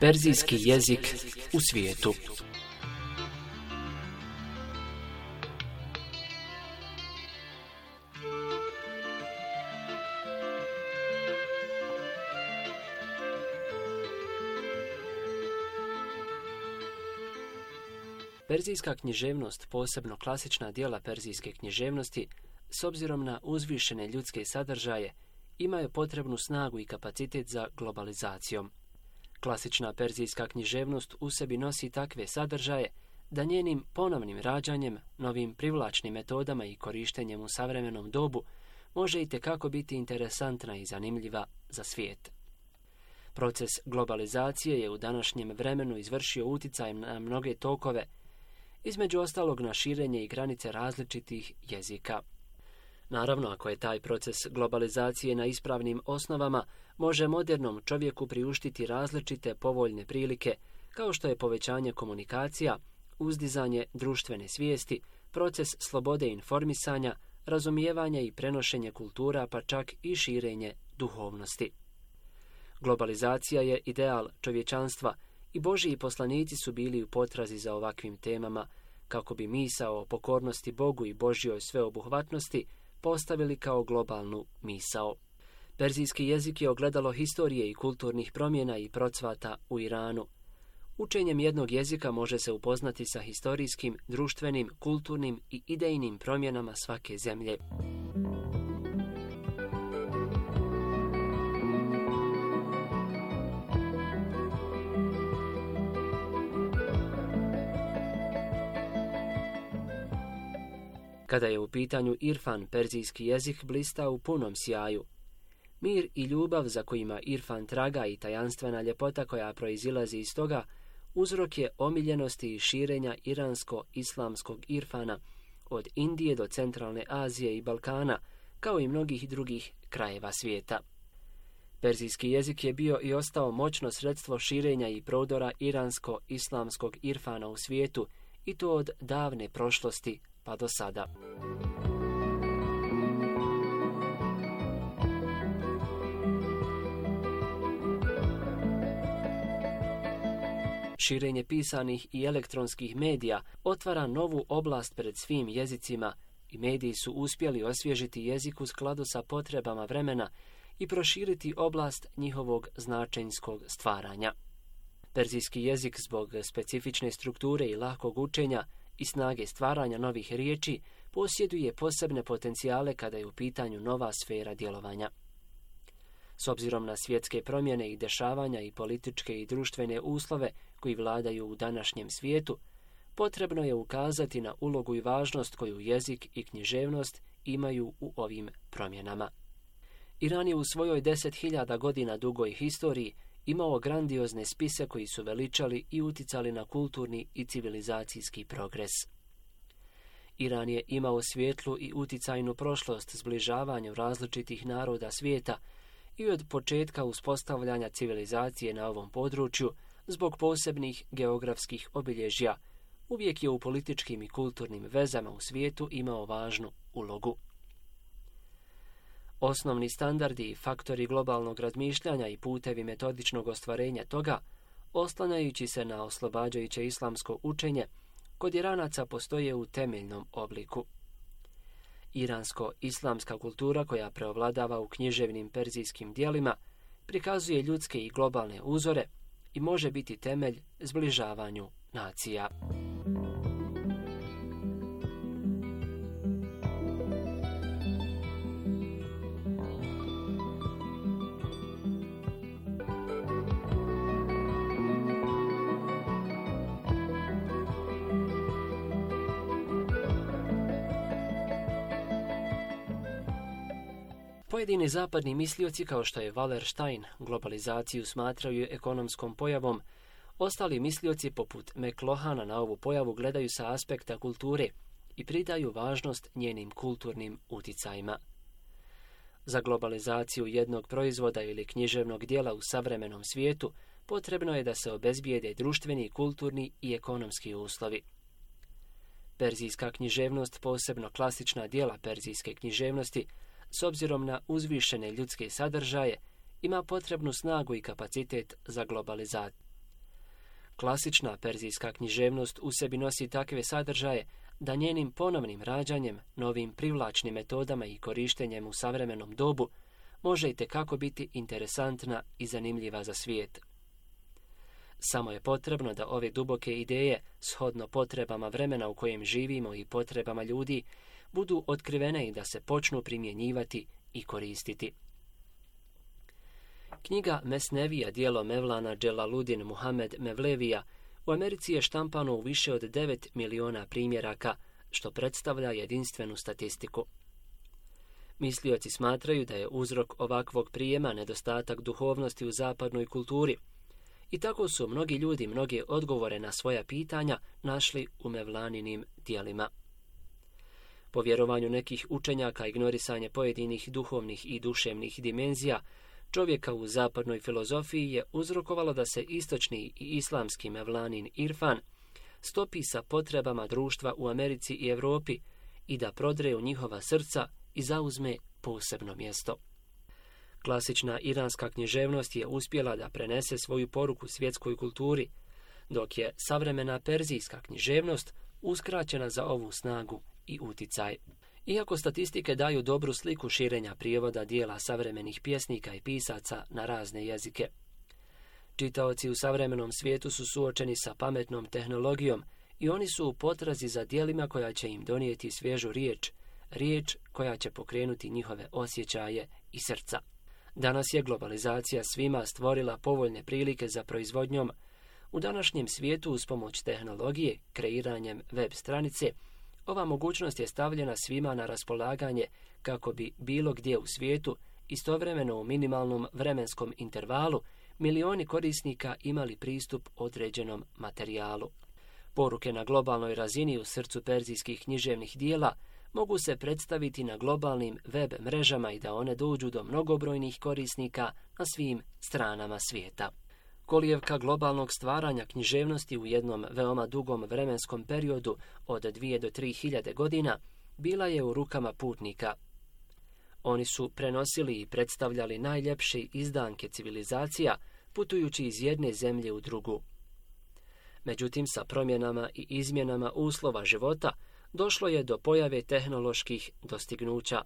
Perzijski jezik u svijetu. Perzijska književnost, posebno klasična djela perzijske književnosti, s obzirom na uzvišene ljudske sadržaje, imaju potrebnu snagu i kapacitet za globalizacijom. Klasična perzijska književnost u sebi nosi takve sadržaje da njenim ponovnim rađanjem, novim privlačnim metodama i korištenjem u savremenom dobu može itekako biti interesantna i zanimljiva za svijet. Proces globalizacije je u današnjem vremenu izvršio uticajem na mnoge tokove, između ostalog na širenje i granice različitih jezika. Naravno, ako je taj proces globalizacije na ispravnim osnovama, može modernom čovjeku priuštiti različite povoljne prilike, kao što je povećanje komunikacija, uzdizanje društvene svijesti, proces slobode informisanja, razumijevanje i prenošenje kultura, pa čak i širenje duhovnosti. Globalizacija je ideal čovječanstva i Božji poslanici su bili u potrazi za ovakvim temama, kako bi misao o pokornosti Bogu i Božjoj sveobuhvatnosti postavili kao globalnu misao. Perzijski jezik je ogledalo historije i kulturnih promjena i procvata u Iranu. Učenjem jednog jezika može se upoznati sa historijskim, društvenim, kulturnim i idejnim promjenama svake zemlje. Kada je u pitanju irfan, perzijski jezik blista u punom sjaju. Mir i ljubav za kojima irfan traga i tajanstvena ljepota koja proizilazi iz toga, uzrok je omiljenosti i širenja iransko-islamskog irfana od Indije do Centralne Azije i Balkana, kao i mnogih drugih krajeva svijeta. Perzijski jezik je bio i ostao moćno sredstvo širenja i prodora iransko-islamskog irfana u svijetu, i to od davne prošlosti pa do sada. Širenje pisanih i elektronskih medija otvara novu oblast pred svim jezicima i mediji su uspjeli osvježiti jezik u skladu sa potrebama vremena i proširiti oblast njihovog značenjskog stvaranja. Perzijski jezik zbog specifične strukture i lahkog učenja i snage stvaranja novih riječi posjeduje posebne potencijale kada je u pitanju nova sfera djelovanja. S obzirom na svjetske promjene i dešavanja i političke i društvene uslove koji vladaju u današnjem svijetu, potrebno je ukazati na ulogu i važnost koju jezik i književnost imaju u ovim promjenama. Iran je u svojoj 10.000 godina dugoj historiji imao grandiozne spise koji su veličali i uticali na kulturni i civilizacijski progres. Iran je imao svijetlu i uticajnu prošlost zbližavanju različitih naroda svijeta i od početka uspostavljanja civilizacije na ovom području, zbog posebnih geografskih obilježja, uvijek je u političkim i kulturnim vezama u svijetu imao važnu ulogu. Osnovni standardi i faktori globalnog razmišljanja i putevi metodičnog ostvarenja toga, oslanjajući se na oslobađajuće islamsko učenje, kod Iranaca postoje u temeljnom obliku. Iransko-islamska kultura koja preovladava u književnim perzijskim dijelima prikazuje ljudske i globalne uzore i može biti temelj zbližavanju nacija. Pojedini zapadni mislioci kao što je Wallerstein globalizaciju smatraju ekonomskom pojavom, ostali mislioci poput McLuhana na ovu pojavu gledaju sa aspekta kulture i pridaju važnost njenim kulturnim uticajima. Za globalizaciju jednog proizvoda ili književnog dijela u savremenom svijetu potrebno je da se obezbijede društveni, kulturni i ekonomski uslovi. Perzijska književnost, posebno klasična dijela perzijske književnosti, s obzirom na uzvišene ljudske sadržaje, ima potrebnu snagu i kapacitet za globalizaciju. Klasična perzijska književnost u sebi nosi takve sadržaje da njenim ponovnim rađanjem, novim privlačnim metodama i korištenjem u savremenom dobu može itekako biti interesantna i zanimljiva za svijet. Samo je potrebno da ove duboke ideje, shodno potrebama vremena u kojem živimo i potrebama ljudi, budu otkrivene i da se počnu primjenjivati i koristiti. Knjiga Mesnevija, dijelo Mevlana Dželaludin Muhamed Mevlevija, u Americi je štampano u više od 9 miliona primjeraka, što predstavlja jedinstvenu statistiku. Mislioci smatraju da je uzrok ovakvog prijema nedostatak duhovnosti u zapadnoj kulturi, i tako su mnogi ljudi mnoge odgovore na svoja pitanja našli u Mevlaninim dijelima. Po vjerovanju nekih učenjaka, ignorisanje pojedinih duhovnih i duševnih dimenzija čovjeka u zapadnoj filozofiji je uzrokovalo da se istočni i islamski Mevlanin irfan stopi sa potrebama društva u Americi i Europi i da prodre u njihova srca i zauzme posebno mjesto. Klasična iranska književnost je uspjela da prenese svoju poruku svjetskoj kulturi, dok je savremena perzijska književnost uskraćena za ovu snagu i uticaj. Iako statistike daju dobru sliku širenja prijevoda dijela savremenih pjesnika i pisaca na razne jezike, čitaoci u savremenom svijetu su suočeni sa pametnom tehnologijom i oni su u potrazi za dijelima koja će im donijeti svježu riječ koja će pokrenuti njihove osjećaje i srca. Danas je globalizacija svima stvorila povoljne prilike za proizvodnjom. U današnjem svijetu uz pomoć tehnologije, kreiranjem web stranice, ova mogućnost je stavljena svima na raspolaganje kako bi bilo gdje u svijetu, istovremeno u minimalnom vremenskom intervalu, milioni korisnika imali pristup određenom materijalu. Poruke na globalnoj razini u srcu perzijskih književnih dijela mogu se predstaviti na globalnim web mrežama i da one dođu do mnogobrojnih korisnika na svim stranama svijeta. Kolijevka globalnog stvaranja književnosti u jednom veoma dugom vremenskom periodu od 2 do 3 hiljade godina bila je u rukama putnika. Oni su prenosili i predstavljali najljepše izdanke civilizacija putujući iz jedne zemlje u drugu. Međutim, sa promjenama i izmjenama uslova života došlo je do pojave tehnoloških dostignuća.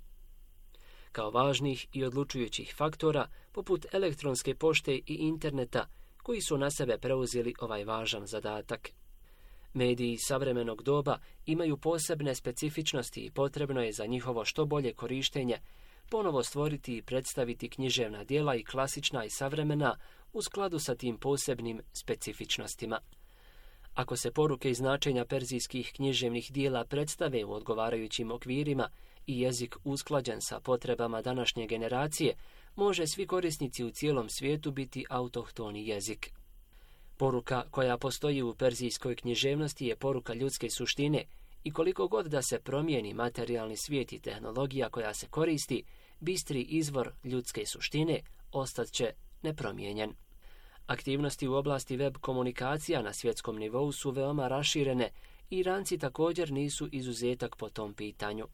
Kao važnih i odlučujućih faktora, poput elektronske pošte i interneta, koji su na sebe preuzeli ovaj važan zadatak. Mediji savremenog doba imaju posebne specifičnosti i potrebno je za njihovo što bolje korištenje ponovo stvoriti i predstaviti književna djela i klasična i savremena u skladu sa tim posebnim specifičnostima. Ako se poruke i značenja perzijskih književnih dijela predstave u odgovarajućim okvirima i jezik usklađen sa potrebama današnje generacije, može svi korisnici u cijelom svijetu biti autohtoni jezik. Poruka koja postoji u perzijskoj književnosti je poruka ljudske suštine i koliko god da se promijeni materijalni svijet i tehnologija koja se koristi, bistri izvor ljudske suštine ostat će nepromijenjen. Aktivnosti u oblasti web komunikacija na svjetskom nivou su veoma raširene i Iranci također nisu izuzetak po tom pitanju.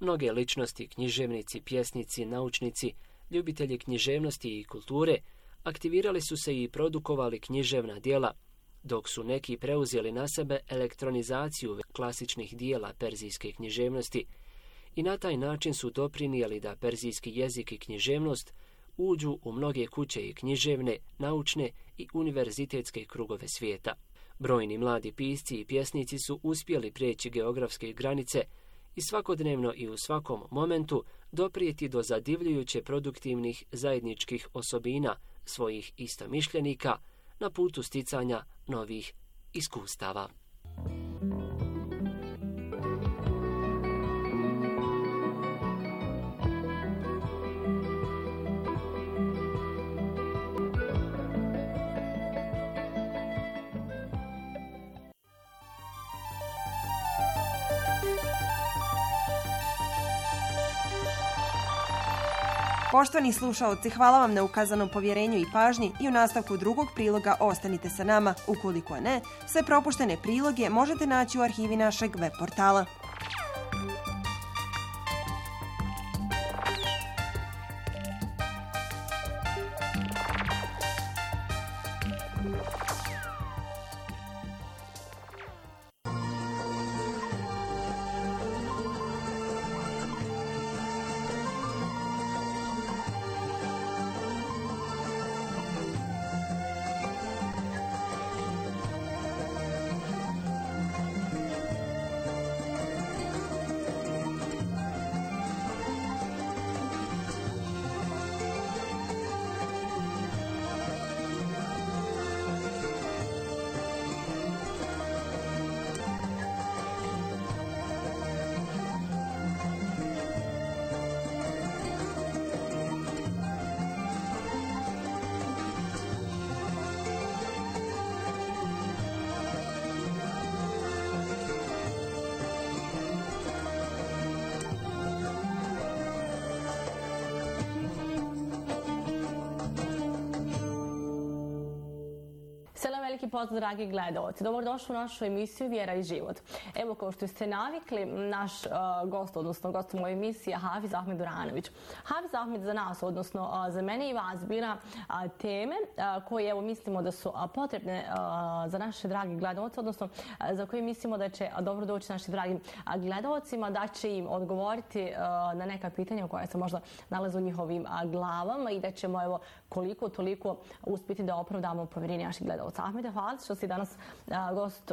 Mnoge ličnosti, književnici, pjesnici, naučnici, ljubitelji književnosti i kulture aktivirali su se i produkovali književna djela, dok su neki preuzeli na sebe elektronizaciju klasičnih dijela perzijske književnosti i na taj način su doprinijeli da perzijski jezik i književnost uđu u mnoge kuće i književne, naučne i univerzitetske krugove svijeta. Brojni mladi pisci i pjesnici su uspjeli prijeći geografske granice i svakodnevno i u svakom momentu doprijeti do zadivljujuće produktivnih zajedničkih osobina svojih istomišljenika na putu sticanja novih iskustava. Poštovani slušaoci, hvala vam na ukazanom povjerenju i pažnji i u nastavku drugog priloga ostanite sa nama. Ukoliko ne, sve propuštene priloge možete naći u arhivi našeg web portala. Veliki pozdrav, dragi gledalci. Dobrodošli u našu emisiju Vjera i život. Evo, kao što ste navikli, naš gost, odnosno gost u mojoj emisiji je Hafiz Ahmed Duranović. Hafiz Ahmed za nas, odnosno za mene i vas, bira teme koje evo mislimo da su potrebne za naše dragi gledalce, odnosno za koje mislimo da će dobro doći našim dragim gledalcima, da će im odgovoriti na neka pitanja koja se možda nalaze u njihovim glavama i da ćemo evo koliko toliko uspjeti da opravdamo povjerenje naših gledalca. Ahmede, hvala što si danas gost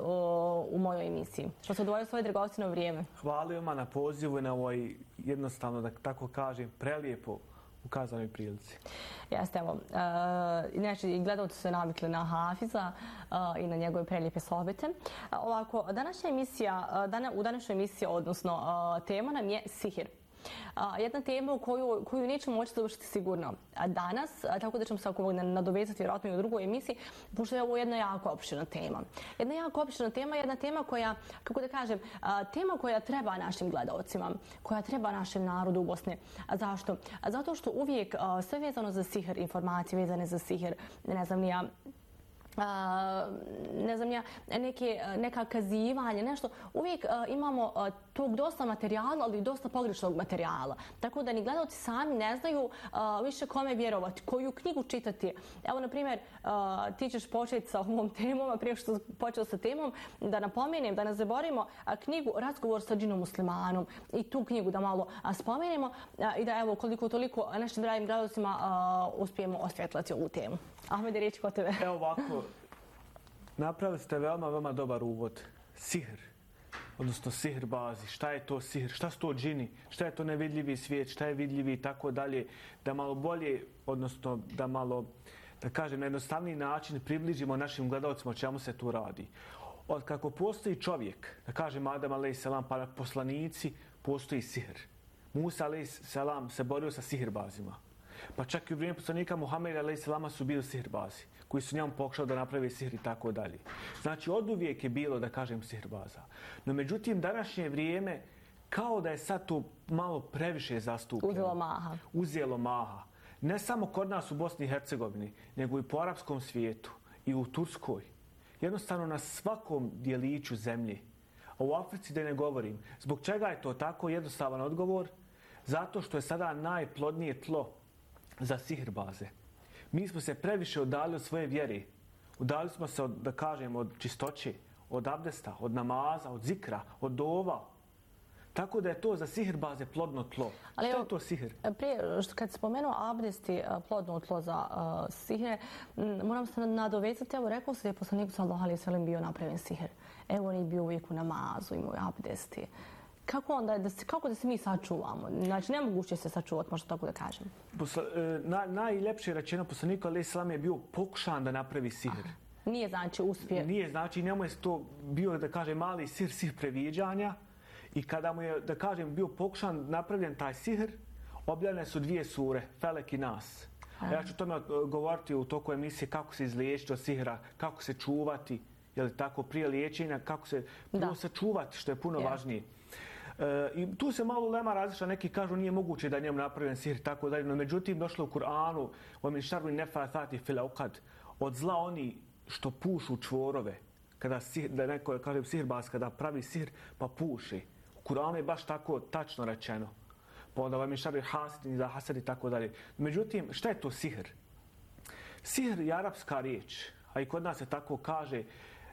u mojoj emisiji. Što se odvojio svoje dragocijno vrijeme. Hvala vam na pozivu i na ovoj jednostavno, da tako kažem, prelijepo ukazanoj prilici. Jeste, evo. Inače, i gledalci su navikli na Hafiza i na njegove prelijepe sohbete. Ovako, u današnjoj emisiji, odnosno tema nam je sihir. Jedna tema u koju nećemo moći završiti sigurno danas, tako da ćemo se nadovezati vjerojatno i u drugoj emisiji, pošto je ovo jedna jako opširna tema. Jedna tema koja, kako da kažem, tema koja treba našim gledalcima, koja treba našem narodu u Bosni. Zašto? Zato što uvijek sve vezano za sihir, informacije vezane za sihir, ne znam ja, neka kazivanja, nešto. Uvijek imamo tog dosta materijala, ali i dosta pogrešnog materijala. Tako da ni gledalci sami ne znaju više kome vjerovati, koju knjigu čitati. Evo, na primjer, ti ćeš početi sa ovom temom, a prije što počeo sa temom, da napomenem, da ne zaboravimo knjigu Razgovor sa džinom muslimanom i tu knjigu da malo spomenemo i da evo koliko toliko našim dragim gledalcima uspijemo osvjetlati ovu temu. Ahmede, riječ kod tebe. Evo ovako, napravili ste veoma dobar uvod. Sihr, odnosno sihr bazi. Šta je to sihr? Šta su to džini? Šta je to nevidljivi svijet? Šta je vidljivi i tako dalje? Da malo bolje, odnosno da malo, da kažem, na jednostavniji način približimo našim gledalcima o čemu se tu radi. Od kako postoji čovjek, da kažem Adam a.s. pa poslanici, postoji sihr. Musa a.s. se borio sa sihrbazima. Pa čak i u vrijeme poslanika Muhameda a.s. su bili sihrbazi, koji su njemu pokušali da naprave sihr i tako dalje. Znači, oduvijek je bilo, da kažem, sihrbaza. No, međutim, današnje vrijeme, kao da je sad to malo previše zastupljeno. Uzelo maha. Ne samo kod nas u Bosni i Hercegovini, nego i po arapskom svijetu i u Turskoj. Jednostavno na svakom dijeliću zemlje. A u Africi da ne govorim. Zbog čega je to tako? Jednostavan odgovor. Zato što je sada najplodnije tlo za sihrbaze. Mi smo se previše udalili od svoje vjere. Udalili smo se, da kažem, od čistoće, od abdesta, od namaza, od zikra, od dova. Tako da je to za sihrbaze plodno tlo. Ali što je to sihr? Prije, kad se spomenuo abdest i plodno tlo za sihre, moram se nadovezati. Evo, rekao se da je poslanik sallallahu alejhi ve sellem bio napravljen sihr. Evo, on je bio uvijek u namazu, imao je abdesti. Kako da se mi sačuvamo? Znači, nemoguće se sačuvati, možda tako da kažem. Najljepše rečeno poslanika alejhi selam je bio pokušan da napravi sihr. Nije znači uspije. Nije znači, njemu je to bio, da kažem, mali sihr previđanja i kada mu je, da kažem, bio pokušan napravljen taj sihr, objavljene su 2 sure, Felek i Nas. Ja ću o tome govoriti u toku emisije kako se izliječiti od sihra, kako se čuvati, je li tako, prije liječenja, kako se sačuvati, što je puno važnije. I tu se malo ulema različita, neki kažu nije moguće da njemu napravljen sihr, tako dalje, no međutim došlo u Kur'anu وَمِنْ شَرِّ النَّفَّاثَاتِ فِي الْعُقَدِ od zla oni što pušu čvorove, kada da neko kaže sihirbaz, kada pravi sihr pa puši. U Kur'anu je baš tako tačno rečeno. Pa onda وَمِنْ شَرِّ حَاسِدٍ إِذَا حَسَدَ i tako dalje. Međutim, šta je to sihr? Sihr je arapska riječ, a i kod nas se tako kaže.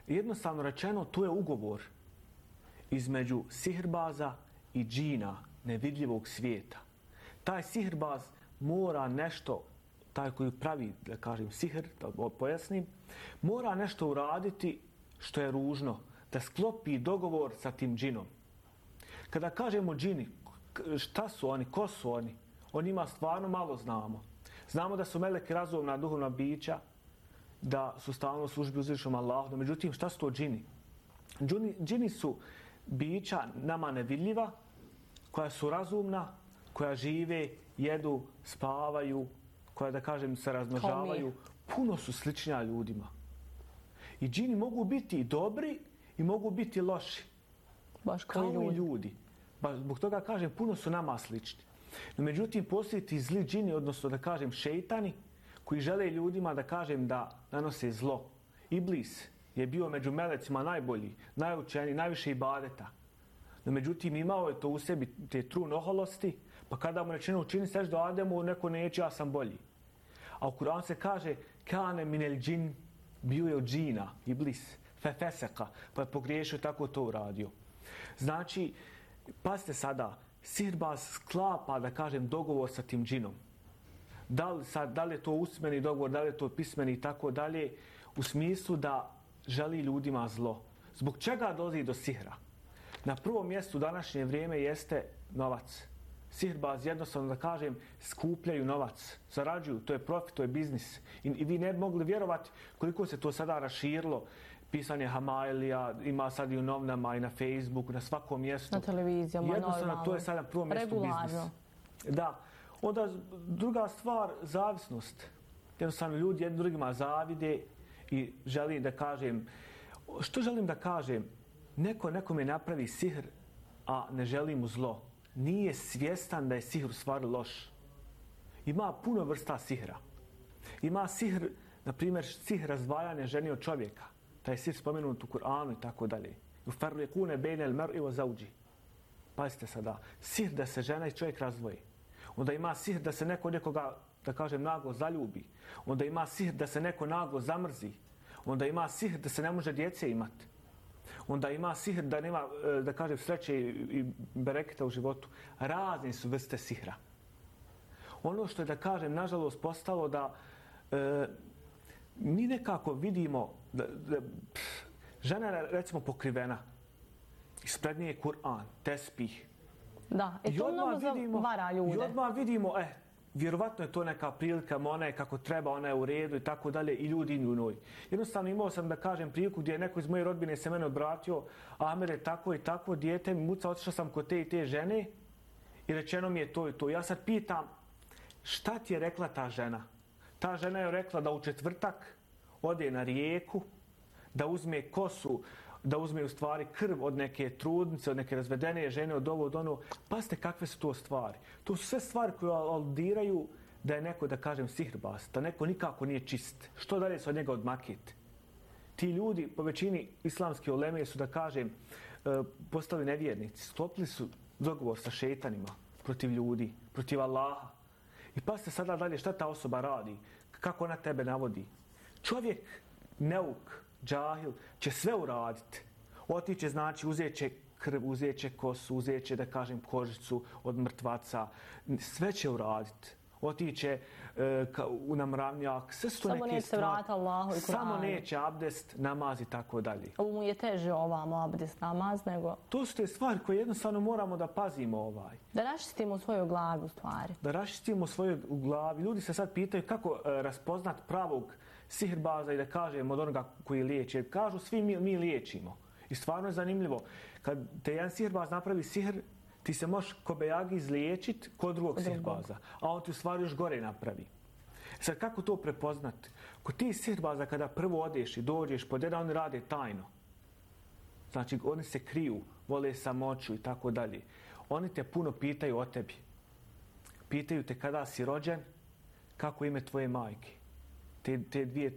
Jednostavno rečeno, to je ugovor između sihirbaza i džina, nevidljivog svijeta. Taj sihirbaz mora nešto, taj koji pravi, da kažem, sihr, da pojasnim, mora nešto uraditi što je ružno, da sklopi dogovor sa tim džinom. Kada kažemo džini, šta su oni, ko su oni? O njima stvarno malo znamo. Znamo da su meleki razumna duhovna bića, da su stalno u službi uzvišenom Allahu. No, međutim, šta su to džini? Džini su bića nama nevidljiva, koja su razumna, koja žive, jedu, spavaju, koja, da kažem, se razmnožavaju. Puno su sličnija ljudima. I džini mogu biti i dobri i mogu biti loši. Baš kao i ljudi. Zbog toga kažem, puno su nama slični. No, međutim, postoje ti zli džini, odnosno da kažem šejtani, koji žele ljudima da kažem da nanose zlo. Iblis je bio među melecima najbolji, najučeniji, najviše ibadeta. No, međutim, imao je to u sebi, te trun oholosti, pa kada mu rečeno učini seždu Ademu, neko neće, ja sam bolji. A u Kur'anu se kaže kane minel džin, bio je od džina, Iblis, fefeseka, pa je pogriješio, tako to uradio. Znači, pazite sada, sihirbaz sklapa, da kažem, dogovor sa tim džinom. Da li je to usmeni dogovor, da li je to pismeni i tako dalje, u smislu da želi ljudima zlo. Zbog čega dolazi do sihra? Na prvom mjestu u današnje vrijeme jeste novac. Sihirbaz, jednostavno da kažem, skupljaju novac, zarađuju, to je profit, to je biznis. I vi ne bi mogli vjerovati koliko se to sada raširilo. Pisanje Hamailija, ima sad i u novinama i na Facebooku, na svakom mjestu. Na televizijama, jednostavno, to je sad na prvom mjestu biznis. Da. Onda druga stvar, zavisnost. Jednostavno ljudi jednim drugima zavide i želim da kažem, što želim da kažem? Neko nekome napravi sihr, a ne želi mu zlo. Nije svjestan da je sihr u stvari loš. Ima puno vrsta sihra. Ima sihr, na primjer, sihr razdvajanja žene od čovjeka. Taj sihr spomenut u Kur'anu i tako dalje. Ufarliqune bejne al-mar'i wa zawji. Pazite sada, sihr da se žena i čovjek razdvoji. Onda ima sihr da se neko nekoga, da kažem, naglo zaljubi. Onda ima sihr da se neko naglo zamrzi. Onda ima sihr da se ne može djece imati. Onda ima sihr da nema, da kažem, sreće i bereketa u životu. Razne su vrste sihra. Ono što je, da kažem, nažalost postalo da mi nekako vidimo da žena je, recimo, pokrivena. Ispred nje je Kur'an, tespih. Da, i to mnogo vara ljude. I odmah vidimo, vjerovatno je to neka prilika, ona je kako treba, ona je u redu i tako dalje, i ljudi u njoj. Jednostavno imao sam, da kažem, priliku gdje je neko iz moje rodbine se mene obratio, Amer je tako i tako, dijete mi muca, otišao sam kod te i te žene i rečeno mi je to i to. Ja sad pitam, šta ti je rekla ta žena? Ta žena je rekla da u četvrtak ode na rijeku, da uzme kosu, da uzme u stvari krv od neke trudnice, od neke razvedene žene, od ovo, od ono. Pazite kakve su to stvari. To su sve stvari koje aludiraju da je neko, da kažem, sihirbaz, da neko nikako nije čist. Što dalje se od njega odmakiti? Ti ljudi, po većini islamske uleme su, da kažem, postali nevjernici. Sklopili su dogovor sa šejtanima protiv ljudi, protiv Allaha. I pazite sada dalje šta ta osoba radi, kako ona tebe navodi. Čovjek, neuk, džahil, će sve uraditi. Otiće, znači, uzet će krv, uzet će kosu, uzet će, da kažem, kožicu od mrtvaca. Sve će uraditi. Otiće u namravnjak. Sve su to samo neke neće stvari. vrata Allahu i Kur'anu. Samo neće abdest, namaz i tako dalje. Ovo mu je teže ovamo abdest, namaz, nego... To su te stvari koje jednostavno moramo da pazimo . Da raščistimo svoju glavu stvari. Da raščistimo svoju glavu. Ljudi se sad pitaju kako raspoznat pravog sihirbaza i da kažem od onoga koji liječi. Kažu svi mi liječimo. I stvarno je zanimljivo. Kad te jedan sihirbaz napravi sihr, ti se možeš kobejagi izliječiti kod drugog sihirbaza. A on ti u stvari još gore napravi. Sad kako to prepoznati? Kod ti sihirbaza kada prvo odeš i dođeš pod jedan, oni rade tajno. Znači, oni se kriju, vole samoću i tako dalje. Oni te puno pitaju o tebi. Pitaju te kada si rođen, kako ime tvoje majke. Te 2, 3